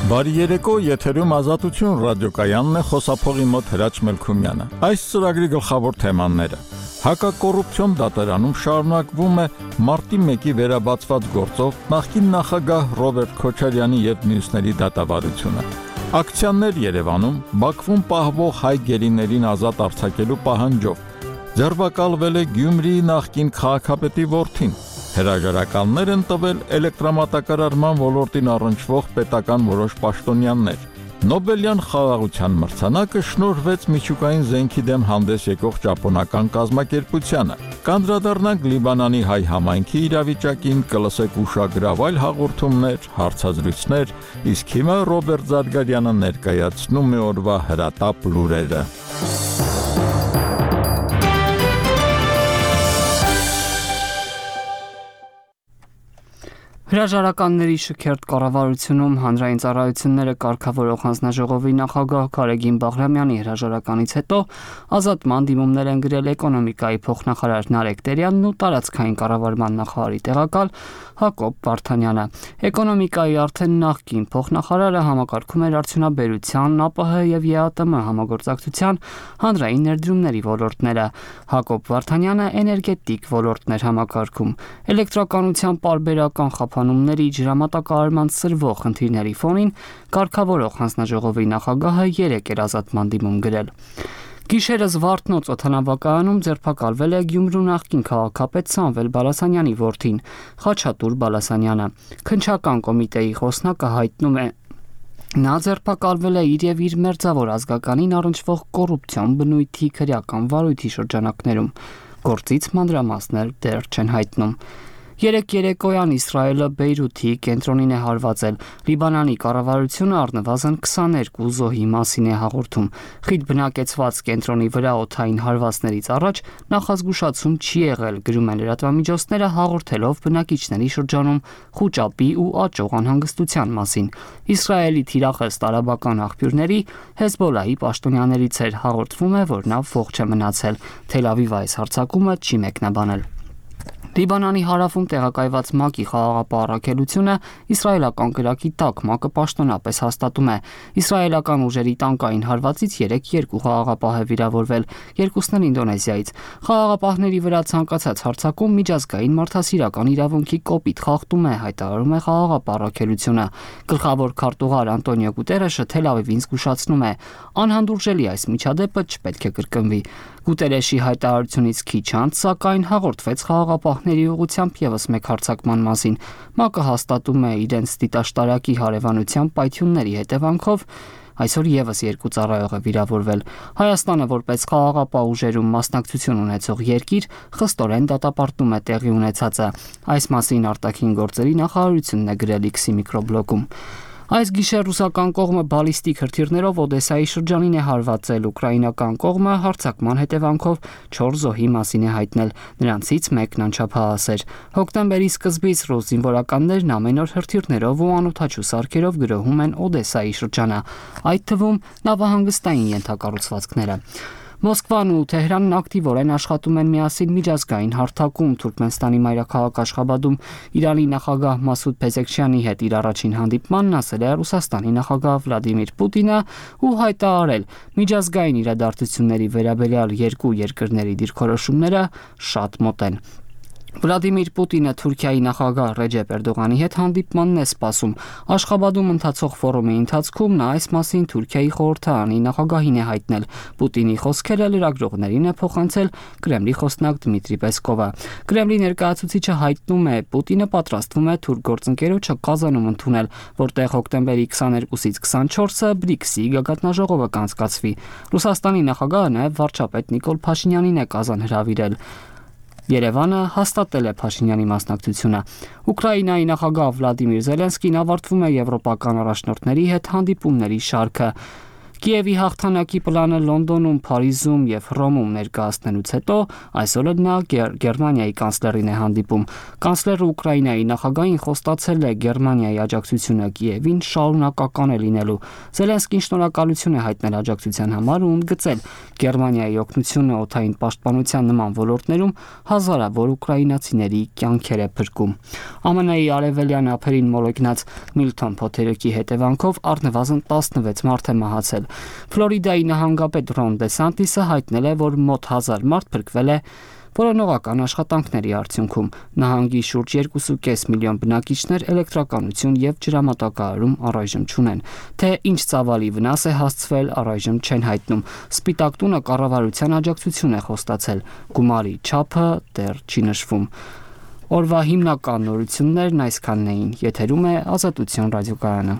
Բարի երեկո, եթերում Ազատություն ռադիոկայանն է, խոսափողի մոտ Հրաչ Մելքումյանը։ Այս ծրագրի գլխավոր թեմաները. Հակակոռուպցիոն դատարանում շարունակվում է մարտի 1-ի վերաբացված գործով նախկին նախագահ Ռոբերտ Քոչարյանի եւ մյուսների դատավարությունը։ Ակցիաներ Երևանում, Բաքվում պահվող հայ գերիներին ազատ արձակելու պահանջով։ Ձերբակալվել է Գյումրիի նախկին քաղաքապետի որդին։ Հրաժարականներ են տվել էլեկտրամատակարարման ոլորտին առնչվող պետական որոշ պաշտոնյաներ։ Նոբելյան խաղաղության մրցանակը շնորհվեց միջուկային զենքի դեմ հանդես եկող ճապոնական կազմակերպությանը։ Կանդրադառնանք Լիբանանի հայ համայնքի իրավիճակին, կլսեք ուշագրավ այլ հաղորդումներ, հարցազրույցներ, իսկ հիմա Ռոբերտ Զարգարյանը ներկայացնում է օրվա հրատապ լուրերը։ Հրաժարականների շքերթ կառավարությունում հանրային ծառայությունները կարգավորող հանձնաժողովի նախագահ Գարեգին Բաղրամյանի հրաժարականից հետո ազատման դիմումներ են գրել էկոնոմիկայի փոխնախարար Նարեկ Տերյանն ու տարածքային կառավարման նախարարի տեղակալ Հակոբ Վարդանյանը։ Էկոնոմիկայի արդեն նախկին փոխնախարարը համակարգում էր արդյունաբերության, ԱՊՀ եւ ԵԱՏՄ համագործակցության հանրային ներդրումների ոլորտները։ Հակոբ Վարդանյանը էներգետիկ ոլորտն էր համակարգում։ Էլեկտրականության պարբերական խափանումների ջրամատակարարման սրվող խնդիրների ֆոնին կարգավորող հանձնաժողովի նախագահը 3 էր ազատման դիմում գրել։ Գիշերս Վարդնոց օդանավակայանում ձերբակալվել է Գյումրու նախկին քաղաքապետ Սամվել Բալասանյանի որդին, Խաչատուր Բալասանյանը։ Քննչական կոմիտեի խոսնակը հայտնում է. Նա ձերբակալվել է իր եւ իր մերձավոր ազգականին առնչվող կոռուպցիոն բնույթի քրեական վարույթի շրջանակներում։ Գործից մանրամասներ դեռ չեն հայտնում։ Երեկ երեկոյան Իսրայելը Բեյրութի կենտրոնին է հարվածել։ Լիբանանի կառավարությունը առնվազն 22 զոհի մասին է հաղորդում։ Խիտ բնակեցված կենտրոնի վրա օդային հարվածներից առաջ նախազգուշացում չի եղել, գրում են լրատվամիջոցները, հաղորդելով բնակիչների շրջանում խուճապի ու աճող անհանգստության մասին։ Իսրայելի թիրախս տարաբական աղբյուրների Հեզբոլահի պաշտոնյաներից էր հաղորդվում է, որ նա ողջ է մնացել։ Թել Ավիվը այս հարձակումը չի մեկնաբանել։ Լիբանանի հարավում տեղակայված ՄԱԿ-ի խաղաղապահ առաքելությունը իսրայելական կրակի տակ ՄԱԿ-ը պաշտոնապես հաստատում է։ Իսրայելական ուժերի տանկային հարվածից 2 խաղաղապահ է վիրավորվել, 2-ն Ինդոնեզիայից։ Խաղաղապահների վրա ցանկացած հարձակում միջազգային մարդասիրական իրավունքի կոպիտ խախտում է, հայտարարում է խաղաղապահ առաքելությունը։ Գլխավոր քարտուղար Անտոնիո Գուտերեշը Թել Ավիվին զգուշացնում է. անհանդուրժելի այս միջադեպը չպետք է կրկնվի։ Գուտերեշի հայտարարությունից քիչ անց, սակայն, հաղորդվեց խաղաղապահների ուղղությամբ եւս մեկ հարձակման մասին։ ՄԱԿ-ը հաստատում է իրենց դիտաշտարակի հարևանության պայթյունների հետևանքով այսօր եւս 2 ծառայող է վիրավորվել։ Հայաստանը որպես խաղաղապահ ուժերում մասնակցություն ունեցող երկիր խստորեն դատապարտում է տեղի ունեցածը։ Այս մասին արտաքին գործերի նախարարությունն է գրել X-ի միկրոբլոգում։ Այս գիշեր ռուսական կողմը բալիստիկ հրթիռներով Օդեսայի շրջանին է հարվածել, ուկրաինական կողմը հարձակման հետևանքով 4 զոհի մասին է հայտնել, նրանցից մեկն անչափահաս էր։ Հոկտեմբերի սկզբից ռուս զինվորականներն ամեն օր հրթիռներով ու անօդաչու սարքերով գրոհում են Օդեսայի շրջանը, այդ թվում նավահանգստային ենթակառուցվածքները։ Մոսկվան ու Թեհրանն ակտիվորեն աշխատում են միասին միջազգային հարթակում Թուրքմենստանի մայրաքաղաք Աշխաբադում Իրանի նախագահ Մասուդ Փեզեքշյանի հետ իր առաջին հանդիպմանն ասել է Ռուսաստանի նախագահ Վլադիմիր Պուտինը ու հայտարարել միջազգային իրադարձությունների վերաբերյալ երկու երկրների դիրքորոշումները շատ մոտ են։ Վլադիմիր Պուտինը Թուրքիայի նախագահ Ռեջեփ Էրդողանի հետ հանդիպմանն է սպասում։ Աշխաբադում ընթացող ֆորումի ընթացքում նա այս մասին Թուրքիայի խորհրդարանի նախագահին է հայտնել։ Պուտինի խոսքերը լրագրողներին է փոխանցել Կրեմլի խոսնակ Դմիտրի Պեսկովը։ Կրեմլի ներկայացուցիչը հայտնում է, Պուտինը պատրաստվում է թուրք գործընկերոջը Կազանում ընդունել, որտեղ հոկտեմբերի 22-ից 24-ը BRICS-ի գագաթնաժողովը կանցկացվի։ Ռուսաստանի նախագահը նաև վարչապետ Նիկոլ Փաշինյանին է Կազան հրավիրել։ Երևանը հաստատել է Փաշինյանի մասնակցությունը։ Ուկրաինայի նախագահ Վլադիմիր Զելենսկին ավարտվում է եվրոպական առաջնորդների հետ հանդիպումների շարքը։ Կիևի հաղթանակի պլանը Լոնդոնում, Փարիզում եւ Հռոմում ներկայացնելուց հետո այսօր նա Գերմանիայի կանցլերին է հանդիպում։ Կանցլերը Ուկրաինայի նախագահին խոստացել է Գերմանիայի աջակցությունը Կիևին շարունակական է լինելու։ Զելենսկին շնորհակալություն է հայտնել աջակցության համար ու ընդգծել Գերմանիայի օգնությունը օդային պաշտպանության նման ոլորտներում հազարավոր ուկրաինացիների կյանքեր է փրկում։ ԱՄՆ-ի արևելյան ափերին մոլեգնած Միլթոն փոթերիկի հետևանքով առնվազն 16 մարդ է մահացել։ Ֆլորիդայի նահանգապետ Ռոն Դեսանտիսը հայտնել է, որ մոտ 1000 մարդ փրկվել է որոնողական աշխատանքների արդյունքում։ Նահանգի շուրջ 2.5 միլիոն բնակիչներ էլեկտրականություն եւ ջրամատակարարում առայժմ չունեն։ Թե ինչ ծավալի վնաս է հասցվել, առայժմ չեն հայտնում։ Սպիտակ տունը կառավարության աջակցություն է խոստացել։ Գումարի չափը դեռ չի նշվում։ Օրվա հիմնական նորություններն այսքանն էին։ Եթերում է Ազատություն ռադիոկայանը։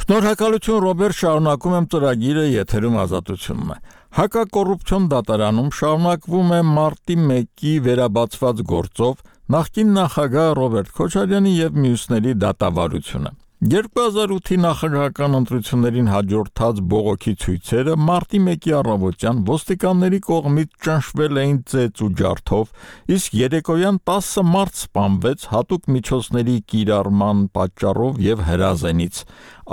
Շնորհակալություն Ռոբերտ, շարունակում եմ ծրագիրը, եթերում Ազատությունն է։ Հակակոռուպցիոն դատարանում շարունակվում է մարտի 1-ի վերաբացված գործով նախկին նախագահ Ռոբերտ Քոչարյանի եւ մյուսների դատավարությունը։ 2008-ի նախագահական ընտրություններին հաջորդած բողոքի ցույցերը մարտի 1-ի առավոտյան ոստիկանների կողմից ճնշվել էին ծեծ ու ջարդով, իսկ երեկոյան 10 մարդ սպանվեց հատուկ միջոցների կիրառման պատճառով եւ հրազենից։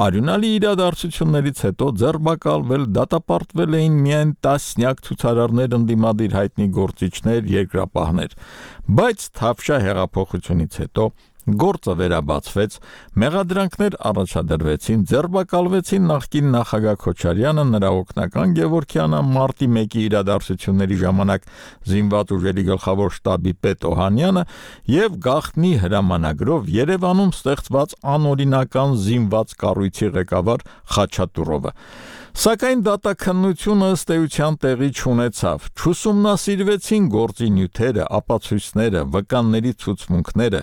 Արյունալի իրադարձություններից հետո ձերբակալվել, դատապարտվել էին միայն տասնյակ ցուցարարներ, ընդդիմադիր հայտնի գործիչներ, երկրապահներ, բայց Թավշյա հեղափոխությունից հետո գործը վերաբացվեց, մեղադրանքներ առաջադրվեցին, ձերբակալվեցին նախկին նախագահ Քոչարյանը, նրա օգնական Գևորգյանը, մարտի 1-ի իրադարձությունների ժամանակ զինված ուժերի գլխավոր շտաբի պետ Օհանյանը եւ գաղտնի հրամանագրով Երևանում ստեղծված անօրինական զինված կառույցի ղեկավար Խաչատուրովը։ Սակայն դատաքննությունը ըստ էության տեղի չունեցավ, չուսումնասիրվեցին գործի նյութերը, ապացույցները, վկանների ցուցմունքները։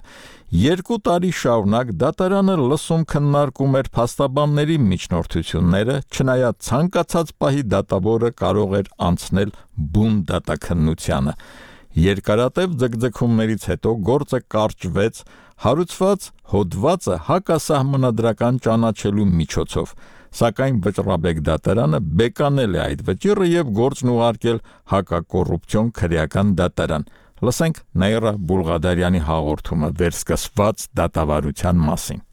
2 տարի շարունակ դատարանը լսում քննարկում էր փաստաբանների միջնորդությունները, չնայած ցանկացած պահի դատավորը կարող էր անցնել բուն դատաքննությանը։ Երկարատև ձգձգումներից հետո գործը կարճվեց, հարուցված հոդվածը հակասահմանադրական ճանաչելու միջոցով, սակայն Վճռաբեկ դատարանը բեկանել է այդ վճիռը եւ գործն ուղարկել հակակոռուպցիոն քրեական դատարան։ Լսենք Նաիրա Բուլղադարյանի հաղորդումը վերսկսված դատավարության մասին։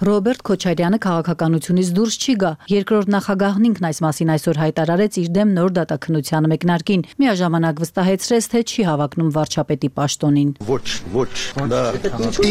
Ռոբերտ Քոչարյանը քաղաքականությունից դուրս չի գա։ Երկրորդ նախագահն ինքն այս մասին այսօր հայտարարեց իր դեմ նոր դատաքննության մեկնարկին։ Միաժամանակ վստահեցրեց, թե չի հավակնում վարչապետի պաշտոնին։ Ոչ, դա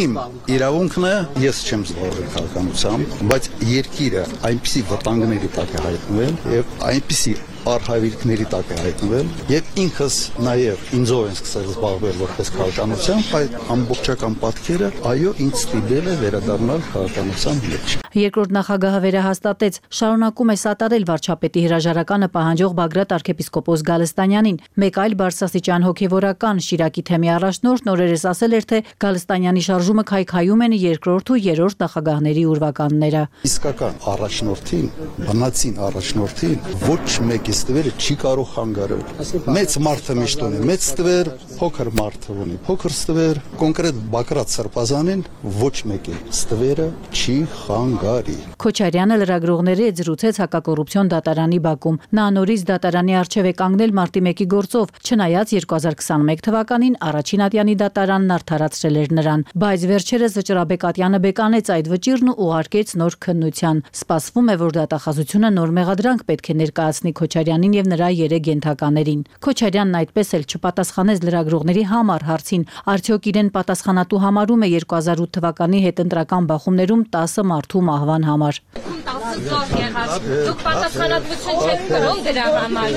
իմ իրավունքն է, ես չեմ զբաղվել քաղաքականությամբ, բայց երկիրը այնպիսի վտանգների տակ է հայտնվել եւ այնպիսի արհավիրքների տակ է հայտնվել եւ ինքս նաեւ ինձով են սկսել զբաղվել որպես քաղաքականությամբ, այդ ամբողջական պատկերը այո ինձ ստիպել է վերադառնալ քաղաքականության մեջ։ Երկրորդ նախագահը վերահաստատեց, շարունակում է սատարել վարչապետի հրաժարականը պահանջող Բագրատ arczepiskopos Գալստանյանին։ Մեկ այլ բարձրաստիճան հոգևորական Շիրակի թեմի առաջնորդ նորերս ասել էր, թե Գալստանյանի շարժումը քայքայում են երկրորդ ու երրորդ նախագահների ուրվականները։ Իսկական առաջնորդին, բնածին առաջնորդին ոչ մեկ ստվերը չի կարող խանգարել։ Մեծ մարդը միշտ ունի մեծ ստվեր, փոքր մարդը ունի փոքր ստվեր, կոնկրետ Բագրատ Սրբազանին ոչ մեկի ստվերը չի խանգարի։ Քոչարյանը լրագրողների հետ զրուցեց հակակոռուպցիոն դատարանի բակում։ Նա նորից դատարանի առջև է կանգնել մարտի 1-ի գործով, չնայած 2021 թվականին առաջին ատյանի դատարանն արդարացրել էր նրան, բայց վերջերս Վճռաբեկ ատյանը բեկանեց այդ վճիռն ու ուղարկեց նոր քննության։ Սպասվում է, որ դատախազությունը նոր մեղադրանք պետք է ներկայացնի Քոչարյանին եւ նրա 3 ենթականերին։ Քոչարյանն այդպես էլ չպատասխանեց լրագրողների համար հարցին, արդյոք իրեն պատասխանատու համարում է 2008 թվականի հետընտրական բախումներում 10 մարդու մահվան համար։ Դուք պատասխանատվություն չեք կրում դրա համար։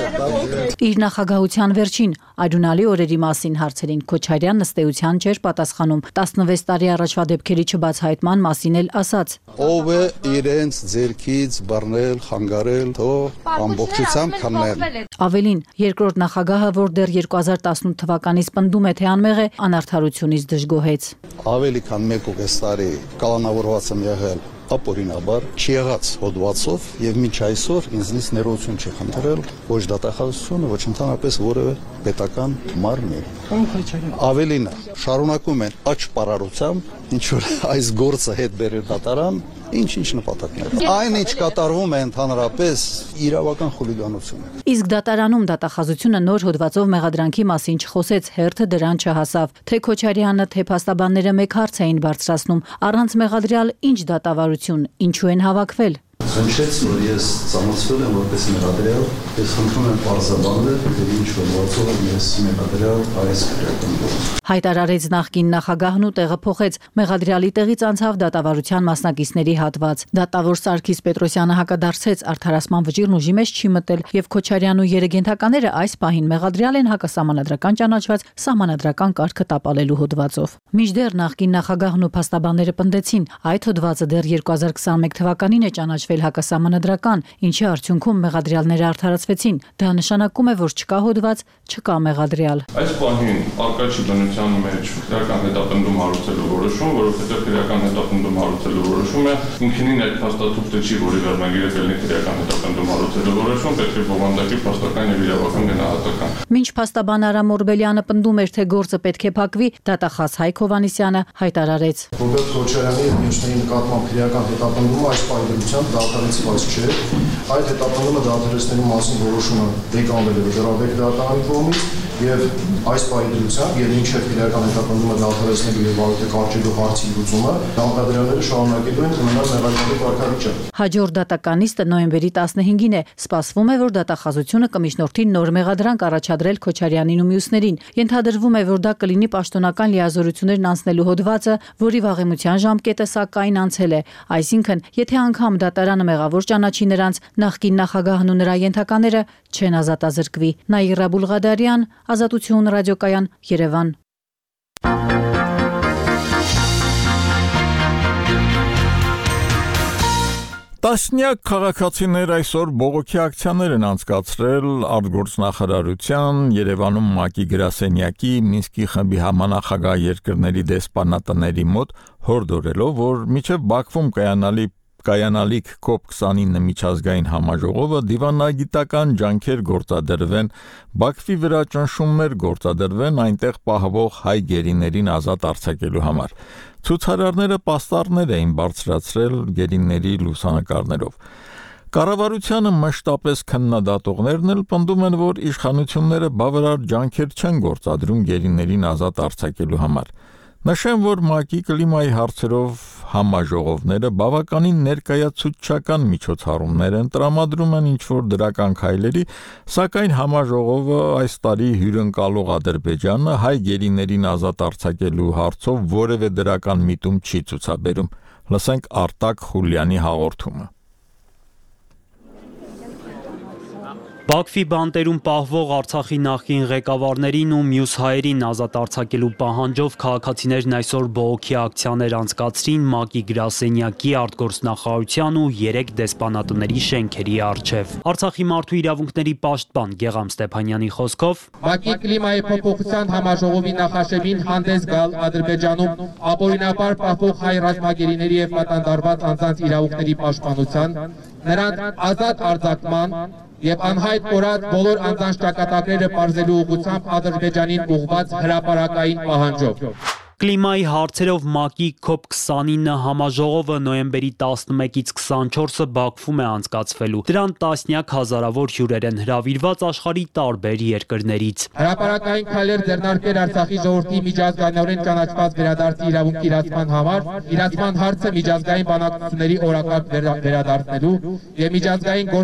Իր նախագահության վերջին արյունալի օրերի մասին հարցերին Քոչարյանն ըստ էության չէր պատասխանում։ 16 տարի առաջվա դեպքերի չբացահայտման մասին էլ ասաց. Ով է իրենց ձերքից բռնել, խանգարել, թող ամբողջությամբ քննել։ Ավելին, երկրորդ նախագահը, որ դեռ 2018 թվականից պնդում է, թե անմեղ է, անարդարությունից դժգոհեց։ Ավելի քան 1.5 տարի կալանավորված եմ եղել ապօրինաբար չեղած հոդվածով եւ մինչ այսօր ինձնից ներողություն չի խնդրել ոչ դատախազությունը, ոչ ընդհանրապես որևէ պետական մարմին։ Ավելին, շարունակում են աճ պարարությամբ, ինչ որ այս գործը հետ բերել դատարան, ինչ նպատակներ։ Այն ինչ կատարվում է ընդհանրապես իրավական խուլիգանություն։ Իսկ դատարանում դատախազությունը նոր հոդվածով մեղադրանքի մասին չխոսեց, հերթը դրան չհասավ։ Թե Քոչարյանը, թե փաստաբանները մեկ հարց էին բարձրացնում, առանց մեղադրյալ ինչ դատավարություն, ինչու են հավաքվել։ Հնչեց, որ ես ծանոթվել եմ որպես մեղադրյալ, ես խնդրում եմ պարզաբանել, թե ինչ որ գործով եմ ես մեղադրյալ այս քրեական։ Հայտարարեց նախկին նախագահն ու տեղը փոխեց, մեղադրյալի տեղից անցավ դատավարության մասնակիցների հատված։ Դատավոր Սարգիս Պետրոսյանը հակադարձեց, արդարացման վճիռն ուժի մեջ չի մտել եւ Քոչարյանն ու երեգենթականները այս պահին մեղադրյալ են հակասահմանադրական ճանաչված սահմանադրական կարգը տապալելու հոդվածով։ Մինչդեռ նախկին նախագահն ու փաստաբանները պնդեցին, այդ հոդվածը դեռ 2021 թվականին է ճանաչվել հակասահմանադրական, ինչի արդյունքում մեղադրյալները արդարացվեցին։ Դա նշանակում է, որ չկա հոդված, չկա մեղադրյալ։ Այս պահին արկա չի բնության մեջ քրեական հետապնդում հարուցելու որոշում, որովհետև քրեական հետապնդում հարուցելու որոշումը ինքնին այդ փաստաթուղթը չի, որի վերնագիրը կլինի քրեական հետապնդում հարուցելու որոշում, պետք է բովանդակի փաստական եւ իրավական գնահատական։ Մինչ փաստաբան Արամ Օրբելյանը պնդում էր, թե գործը պետք է փակվի, դատախազ Հայկ Հովհաննիսյանը հայտարարեց. Ռոբերտ Քոչարյանի եւ մյուսների նկատմամբ քրեական հետապնդումը այս պայմանությամբ դատարանցված չէ։ Այդ հետապնդումը դատարանցելու մասին որոշումը եկամվել է Գրավեկ դատարանի կողմից եւ այս պայմանությամբ եւ ինչեւ քրեական հետապնդումը դատարանցելու եւ վարույթը կարճելու հարցի լուծումը դատավորները շարունակելու են ունենալ մեղադրյալի կարգավիճակ։ Հաջորդ դատականիստը նոյեմբերի 15-ին է։ Սպասվում է, որ դատախազությունը կմիջնորդի նոր մեղադրանք առաջադրել Քոչարյանին ու մյուսներին։ Ենթադրվում է, որ դա կլինի պաշտոնական լիազորություններն անցնելու հոդվածը, որի վաղեմության ժամկետը սակայն անցել է։ Այսինքն, եթե անգամ դատարանը մեղավոր ճանաչի նրանց, նախկին նախագահն ու նրա ենթակաները չեն ազատազրկվի։ Նաիրա Բուլղադարյան, Ազատություն ռադիոկայան, Երևան։ Տասնյակ քաղաքացիներ այսօր բողոքի ակցիաներ են անցկացրել արտգործնախարարության, Երևանում ՄԱԿ-ի գրասենյակի, Մինսկի խմբի համանախագահ երկրների դեսպանատների մոտ, հորդորելով, որ մինչև Բաքվում կայանալիք COP29 միջազգային համաժողովը դիվանագիտական ջանքեր գործադրվեն, Բաքվի վրա ճնշումներ գործադրվեն այնտեղ պահվող հայ գերիներին ազատ արձակելու համար։ Ցուցարարները պաստառներ էին բարձրացրել գերիների լուսանկարներով։ Կառավարությանը մշտապես քննադատողներն էլ պնդում են, որ իշխանությունները բավարար ջանքեր չեն գործադրում գերիներին ազատ արձակելու համար։ Նշեմ, որ ՄԱԿ-ի կլիմայի հարցերով համաժողովները բավականին ներկայացուցչական միջոցառումներ են տրամադրում են ինչ-որ դրական քայլերի, սակայն համաժողովը այս տարի հյուրընկալող Ադրբեջանը հայ գերիներին ազատ արձակելու հարցով որևէ դրական միտում չի ցուցաբերում։ Լսենք Արտակ Խուլյանի հաղորդումը։ Բաքվի բանտերում պահվող Արցախի նախկին ղեկավարներին ու մյուս հայերին ազատ արձակելու պահանջով քաղաքացիներն այսօր բողոքի ակցիաներ անցկացրին ՄԱԿ-ի գրասենյակի, արտգործնախարարության ու 3 դեսպանատների շենքերի առջև։ Արցախի մարդու իրավունքների պաշտպան Գեգամ Ստեփանյանի խոսքով ՄԱԿ-ի կլիմայի փոփոխության համաժողովի նախաշեմին հանդես գալ Ադրբեջանում ապօրինաբար պահվող հայ ռազմագերիների եւ պատանդարված անձանց իրավունքների պաշտպանության, նրանց ազատ արձակման եւ անհայտ կորած բոլոր անձանց ճակատագրերը պարզելու ուղղությամբ Ադրբեջանին ուղղված հրապարակային պահանջով։ Կլիմայի հարցերով ՄԱԿ-ի COP29 համաժողովը նոյեմբերի 11-ից 24-ը Բաքվում է անցկացվելու։ Դրան տասնյակ հազարավոր հյուրեր են հրավիրված աշխարհի տարբեր երկրներից։ Հրապարակային քայլեր ձեռնարկել Արցախի ժողովրդի միջազգայինորեն ճանաչված վերադարձի իրավունքի իրացման համար, իրացման հարցը միջազգային բանակցությունների օրակարգ վերադարձնելու եւ միջազգային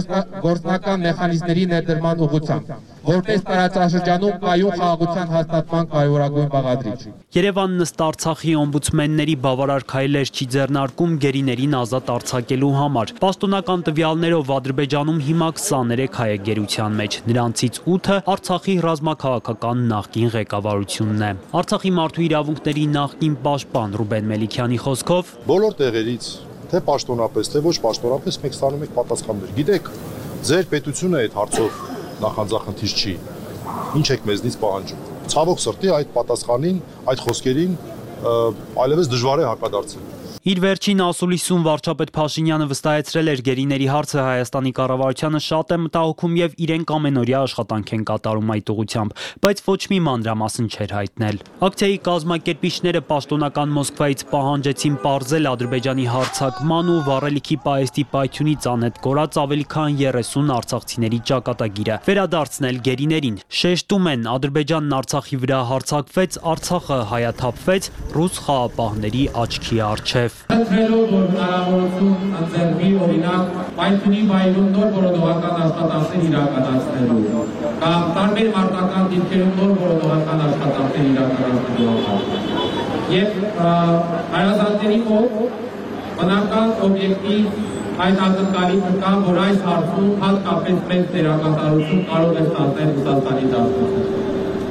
գործնական մեխանիզմների ներդրման ուղղությամբ, որպես տարածաշրջանում կայուն խաղաղության հաստատման կարևորագույն բաղադրիչ։ Երևանն ըստ Արցախի օմբուդսմենների բավարար քայլեր չի ձեռնարկում գերիներին ազատ արձակելու համար։ Պաշտոնական տվյալներով Ադրբեջանում հիմա 23 հայ է գերության մեջ, նրանցից 8-ը Արցախի ռազմաքաղաքական նախկին ղեկավարությունն է։ Արցախի մարդու իրավունքների նախկին պաշտպան Ռուբեն Մելիքյանի խոսքով բոլոր տեղերից, թե պաշտոնապես, թե ոչ պաշտոնապես մենք ստանում ենք պատասխաններ։ Գիտեք, ձեր պետությունը այդ հարցով նախանձախնդիր չի։ Ինչ եք մեզնից պահանջում։ Ցավոք սրտի այդ պատասխանին, այդ խոսքերին այլևս դժվար է հակադարձել։ Իր վերջին ասուլիսում վարչապետ Փաշինյանը վստահեցրել էր գերիների հարցը Հայաստանի կառավարությանը շատ է մտահոգում եւ իրենք ամենօրյա աշխատանք են կատարում այդ ուղղությամբ, բայց ոչ մի մանրամասն չէր հայտնել։ Ակցիայի կազմակերպիչները պաշտոնական Մոսկվայից պահանջեցին պարզել Ադրբեջանի հարձակման ու վառելիքի պահեստի պայթյունից անհետ կորած ավելի քան 30 արցախցիների ճակատագիրը, վերադարձնել գերիներին։ Շեշտում են, Ադրբեջանն Արցախի վրա հարձակվեց, Արցախը հայաթափվեց ռուս խաղապահների աչքի առջև։ միջև։ Ընտրելով որ հնարավորություն ընձեռվի օրինակ պայթունի վայրում նոր որոնողական աշխատանքներ իրականացնելու կամ տարբեր մարտական դիրքերում նոր որոնողական աշխատանքներ իրականացնելու եւ հարազատների մոտ բնական օբյեկտիվ այդ ակնկալիքը կա, որ այս հարցում հատկապես մեծ դերակատարություն կարող է ստանձնել Ռուսաստանի դաշնակցությունը։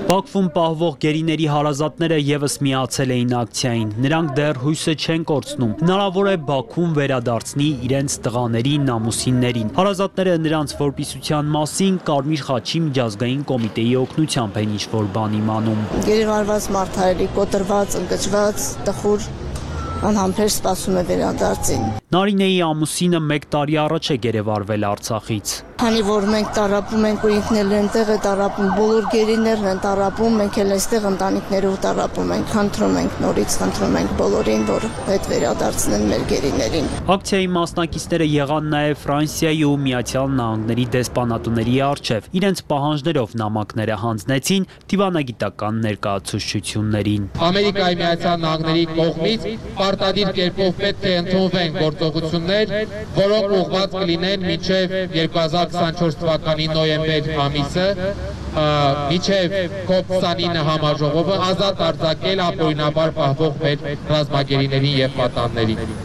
Բաքվում պահվող գերիների հարազատները եւս միացել էին ակցիային։ Նրանք դեռ հույսը չեն կորցնում։ Հնարավոր է Բաքուն վերադարձնի իրենց տղաներին, ամուսիններին։ Հարազատները նրանց որպիսության մասին Կարմիր խաչի միջազգային կոմիտեի օգնությամբ են ինչ-որ բան իմանում։ Գերեվարված մարդարելի, կոտրված, ընկճված, տխուր անհամբեր սպասում է վերադարձին։ Նարինեի ամուսինը 1 տարի առաջ է գերեվարվել Արցախից։ Քանի որ մենք տարապում ենք ու ինքն էլ այնտեղ է տարապում, բոլոր գերիներն են տարապում, մենք էլ այստեղ ընտանիքներով տարապում ենք, խնդրում ենք նորից, խնդրում ենք բոլորին, որ հետ վերադարձնեն մեր գերիներին։ Ակցիայի մասնակիցները եղան նաև Ֆրանսիայի ու Միացյալ Նահանգների դեսպանատուների առջև, իրենց պահանջներով նամակները հանձնեցին դիվանագիտական ներկայացուցչություններին։ Ամերիկայի Միացյալ Նահանգների կողմից պարտադիր կերպով պետք է ընդունվեն գործողություններ, որոնք ուղղված կլինեն մինչև 2024 թվականի նոյեմբեր ամիսը, մինչև COP29 համաժողովը ազատ արձակել ապօրինաբար պահվող մեր ռազմագերիներին եւ պատաններին։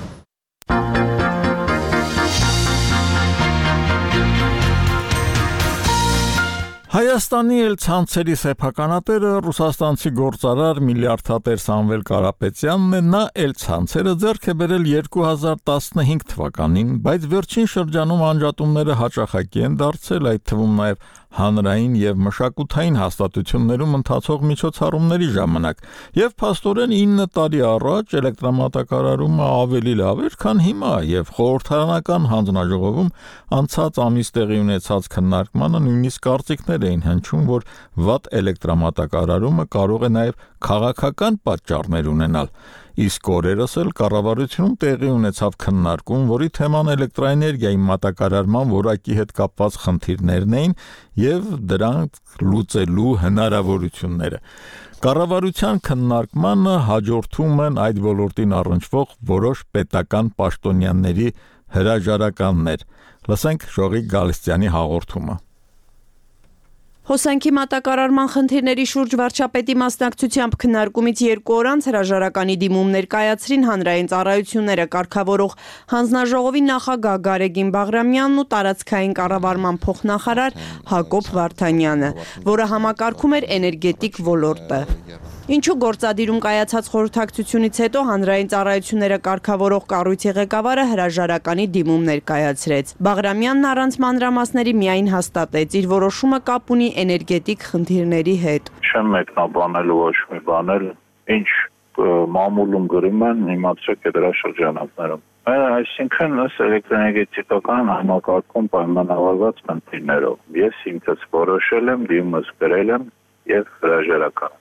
Հայաստանի էլ ցանցերի սեփականատերը ռուսաստանցի գործարար միլիարդատեր Սամվել Կարապետյանն է, նա էլ ցանցերը ձեռք է բերել 2015 թվականին, բայց վերջին շրջանում անջատումները հաճախակի են դարձել, այդ թվում նաև հանրային եւ մշակութային հաստատություններում ընթացող միջոցառումների ժամանակ, եւ փաստորեն 9 տարի առաջ էլեկտրամատակարարումը ավելի լավ էր, քան հիմա, եւ խորհրդարանական հանձնաժողովում անցած ամիս տեղի ունեցած քննարկմանը նույնիսկ կարծիքներ էին հնչում, որ վատ էլեկտրամատակարարումը կարող է նաեւ քաղաքական պատճառներ ունենալ։ Իսկ օրերս էլ կառավարությունում տեղի ունեցավ քննարկում, որի թեման էլեկտրաէներգիայի մատակարարման որակի հետ կապված խնդիրներն էին եւ դրանք լուծելու հնարավորությունները։ Կառավարության քննարկմանը հաջորդում են այդ ոլորտին առնչվող որոշ պետական պաշտոնյաների հրաժարականներ։ Լսենք Ժողիկ Գալստյանի հաղորդումը։ Հոսանքի մատակարարման խնդիրների շուրջ վարչապետի մասնակցությամբ քննարկումից 2 օր անց հրաժարականի դիմումներ կայացրին հանրային ծառայությունները կարգավորող հանձնաժողովի նախագահ Գարեգին Բաղրամյանն ու տարածքային կառավարման փոխնախարար Հակոբ Վարդանյանը, որը համակարգում էր էներգետիկ ոլորտը։ Ինչու գործադիրում կայացած խորհրդակցությունից հետո հանրային ծառայությունները կարգավորող կառույցի ղեկավարը հրաժարականի դիմումներ կայացրեց։ Բաղրամյանն առանց մանրամասների միայն հաստատեց իր որոշումը կապ ունի էներգետիկ խնդիրների հետ։ Չեմ մեկնաբանել ոչ մի բան էլ, ինչ մամուլում գրում են, իմացեք դրա շրջանակներում։ Այսինքն ըստ էլեկտրոէներգետիկական համակարգում պայմանավորված խնդիրներով ես ինքս որոշել եմ, դիմումս գրել եմ եւ հրաժարական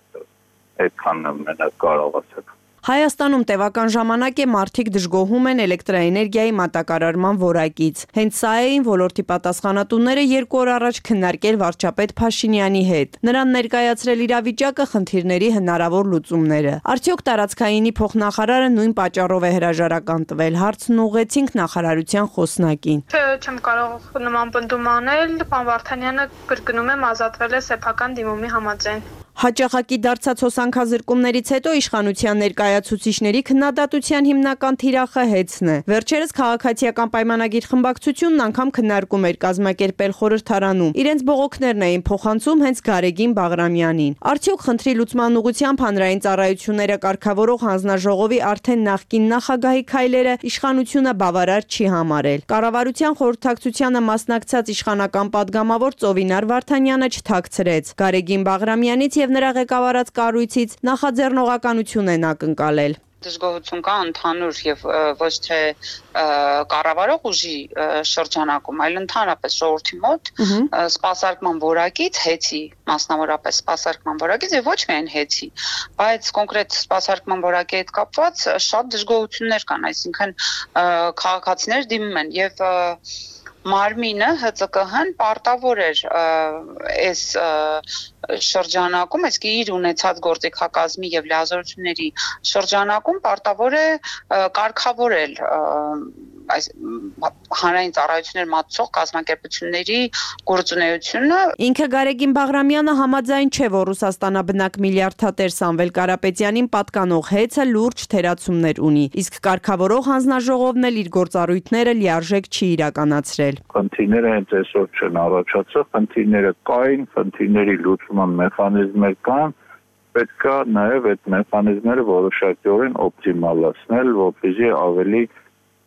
այդքանն մենակ կարող ասեք։ Հայաստանում տևական ժամանակ է մարդիկ դժգոհում են էլեկտրաէներգիայի մատակարարման որակից։ Հենց սա էին ոլորտի պատասխանատուները 2 օր առաջ քննարկել վարչապետ Փաշինյանի հետ։ Նրան ներկայացրել իրավիճակը, խնդիրների հնարավոր լուծումները։ Արդյոք տարածքայինի փոխնախարարը նույն պատճառով է հրաժարական տվել։ Հարցն ուղղեցինք նախարարության խոսնակին։ Չեմ կարող նման պնդում անել, պարոն Վարդանյանը կրկնում եմ ազատվել է սեփական դիմումի համաձայն։ Հաճախակի դարձած հոսանքազրկումներից հետո իշխանության ներկայացուցիչների քննադատության հիմնական թիրախը հեծն է։ Վերջերս քաղաքացիական պայմանագիր խմբակցությունն անգամ քննարկում էր կազմակերպել խորհրդարանում։ Իրենց բողոքներն էին փոխանցում հենց Գարեգին Բաղրամյանին։ Արդյոք խնդրի լուծման ուղղությամբ հանրային ծառայությունները կարգավորող հանձնաժողովի արդեն նախկին նախագահի քայլերը իշխանությունը բավարար չի համարել։ Կառավարության խորհրդակցությանը մասնակցած իշխանական падգամավոր Ծովինար Վարդանյանը չթաքցրեց։ Գարեգին Բաղրամյանից եւ նրա ղեկավարած կառույցից նախաձեռնողականություն են ակնկալել։ Դժգոհություն կա ընդհանուր եւ ոչ թե կառավարող ուժի շրջանակում, այլ ընդհանրապես ժողովրդի մոտ սպասարկման որակից հեծի, մասնավորապես սպասարկման որակից եւ ոչ միայն հեծի, բայց կոնկրետ սպասարկման որակի հետ կապված շատ դժգոհություններ կան, այսինքն քաղաքացիներ դիմում են եւ մարմինը ՀԾԿՀ-ն պարտավոր էր այս շրջանակում, իսկ իր ունեցած գործիքակազմի եւ լիազորությունների շրջանակում պարտավոր է կարգավորել այս հանրային ծառայություններ մատուցող կազմակերպությունների գործունեությունը։ Ինքը Գարեգին Բաղրամյանը համաձայն չէ, որ Ռուսաստանաբնակ միլիարդատեր Սամվել Կարապետյանին պատկանող հեծը լուրջ թերացումներ ունի, իսկ կարգավորող հանձնաժողովն էլ իր գործառույթները լիարժեք չի իրականացրել։ Խնդիրները հենց այսօր չեն առաջացել, խնդիրները կային, խնդիրների լուծման մեխանիզմներ կան, պետք է նաև այդ մեխանիզմները որոշակիորեն օպտիմալացնել, որպեսզի ավելի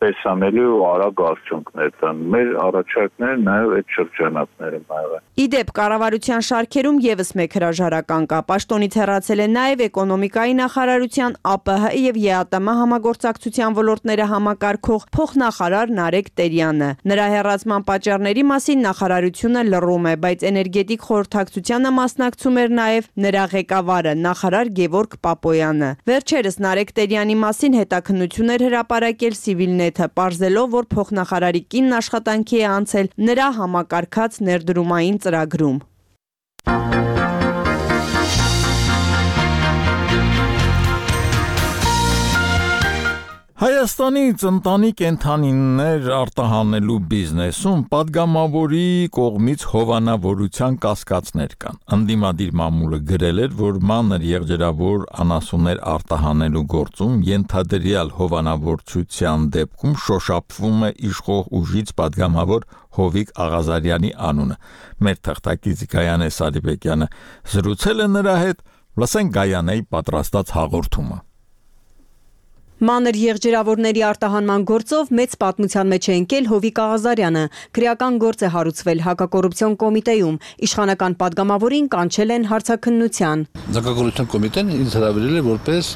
տեսանելի ու արագ արդյունքներ տան։ Մեր առաջարկները նաև այդ շրջանակները եղան։ Իդեպ կառավարության շարքերում եւս մեկ հրաժարական կա։ Պաշտոնից հեռացել է նաև էկոնոմիկայի նախարարության, ԱՊՀ եւ ԵԱՏՄ համագործակցության ոլորտները համակարգող փոխնախարար Նարեկ Տերյանը։ Նրա հեռացման պատճառների մասին նախարարությունը լռում է, բայց էներգետիկ խորհրդակցությանը մասնակցում էր նաև նրա ղեկավարը, նախարար Գևորգ Պապոյանը։ Վերջերս Նարեկ Տերյանի մասին հետաքննություններ հրապարակել Civilnet-ը, պարզելով, որ փոխնախարարի կինն աշխատանքի է անցել նրա համակարգած ներդրումային ծրագրում։ Հայաստանից ընտանի կենդանիներ արտահանելու բիզնեսում падգամավորի կողմից հովանավորության կասկածներ կան։ Անդիմադիր մամուլը գրել էր, որ մանր եղջերավոր անասուններ արտահանելու գործում ենթադրյալ հովանավորչության դեպքում շոշափվում է իշխող ուժից падգամավոր Հովիկ Աղազարյանի անունը։ Մեր թղթակից Գայանե Սարիբեկյանը զրուցել է նրա հետ, լսենք Գայանեի պատրաստած հաղորդումը։ Մանր եղջերավորների արտահանման գործով մեծ պատմության մեջ է ընկել Հովիկ Աղազարյանը։ Քրեական գործ է հարուցվել հակակոռուպցիոն կոմիտեում։ Իշխանական падգամավորին կանչել են հարցաքննության։ Հակակոռուպցիոն կոմիտեն ինձ հրավիրել է որպես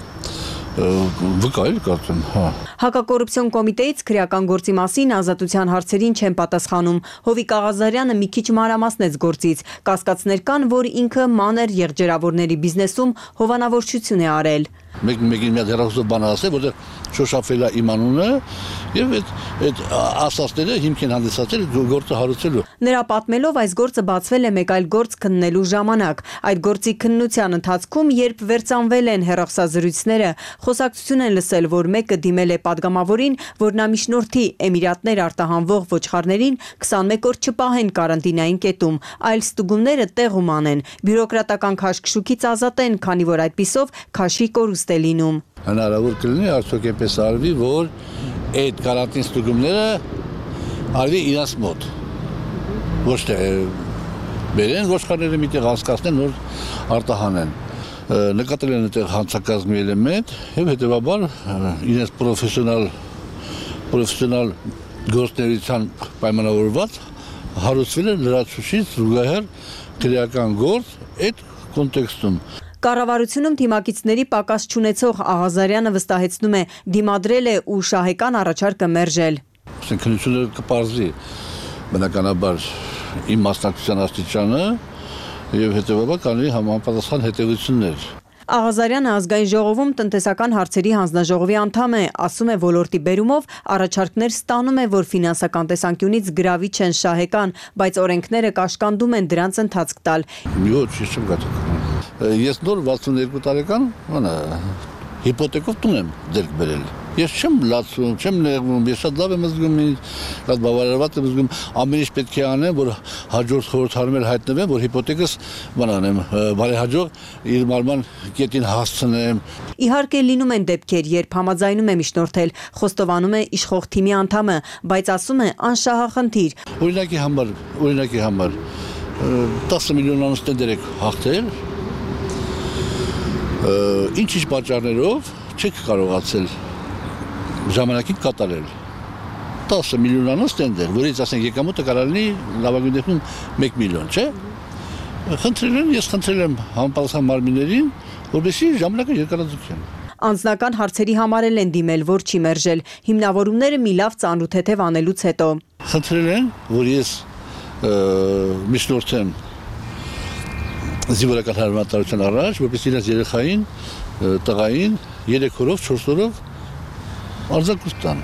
վկայել կարծեմ, հա։ Հակակոռուպցիոն կոմիտեից քրեական գործի մասին ազատության հարցերին չեն պատասխանում։ Հովիկ Աղազարյանը մի քիչ մանրամասնեց գործից։ Կասկածներ կան, որ ինքը մանր եղջերավորների բիզնեսում հովանավորչություն է արել։ Մեկին մի հեռախոսով բան ասել, որտեղ շոշափել է իմ անունը եւ այդ ասածները հիմք են հանդիսացել գործը հարուցելու։ Նրա պատմելով այս գործը բացվել է մեկ այլ գործ քննելու ժամանակ։ Այդ գործի քննության ընթացքում, երբ վերծանվել են հեռախոսազրույցները, խոսակցություն են լսել, որ մեկը դիմել է падգամավորին, որ նա միջնորդի Էմիրատներ արտահանվող ոչխարներին 21 օր չպահեն կարանտինային կետում, այլ ստուգումները տեղում անեն, բյուրոկրատական քաշքշուկից ազատեն, քանի որ այդպիսով քաշի կորուստ է լինում։ Հնարավոր կլինի արդյոք այնպես արվի, որ այդ կարանտին ստուգումները արվի իրաց մոտ։ Ոչ թե բերեն ոչխարները միտեղ հասկացնեն, որ արտահանեն։ Նկատել են այդտեղ հանցակազմի էլեմենտ եւ հետեւաբար իրենց պրոֆեսիոնալ գործունեության պայմանավորված հարուցվել է լրացուցիչ զուգահեռ քրեական գործ այդ կոնտեքստում։ Կառավարությունում թիմակիցների պակաս չունեցող Աղազարյանը վստահեցնում է, դիմադրել է ու շահեկան առաջարկը մերժել։ Քննությունը կպարզի բնականաբար իմ մասնակցության աստիճանը եւ հետեւաբար կանի համապատասխան հետեւություններ։ Աղազարյանը ազգային ժողովում տնտեսական հարցերի հանձնաժողովի անդամ է, ասում է ոլորտի բերումով առաջարկներ ստանում է, որ ֆինանսական տեսանկյունից գրավիչ են շահեկան, բայց օրենքները կաշկանդում են դրանց ընթացք տալ։ Ոչ, չեմ գտել։ Ես նոր 62 տարեկան, հիպոթեկով տուն եմ ձեռք բերել։ Ես չեմ լացում, չեմ նեղվում, ես շատ լավ եմ զգում, շատ բավարարված եմ զգում, ամեն ինչ պետք է անեմ, որ հաջորդ խորհրդարանում հայտնվեմ, որ հիպոթեկս բանանեմ, բարեհաջող իր մարման կետին հասցնեմ։ Իհարկե լինում են դեպքեր, երբ համաձայնում է միջնորդել, խոստովանում է իշխող թիմի անդամը, բայց ասում է անշահախնդիր։ Օրինակի համար 10 միլիոնանոց տենդեր եք հաղթել, ինչ-ինչ պատճառներով չեք կարողացել ժամանակին կատարել 10 միլիոնանոց տենդեր, որից ասենք եկամուտը կարող լինի լավագույն դեպքում 1 միլիոն, չէ՞։ Ես խնդրել եմ համապատասխան մարմիններին, որպեսզի ժամանակը երկարաձգեն։ Անձնական հարցերի համար են դիմել, որ չի մերժել, հիմնավորումները մի լավ ծանոթեթև անելուց հետո։ Խնդրել են, որ ես միջնորդեմ զինվորական հարմարության առաջ, որպեսզի իրենց երեխային, տղային 3 օրով, 4 օրով արձակուրդ տան։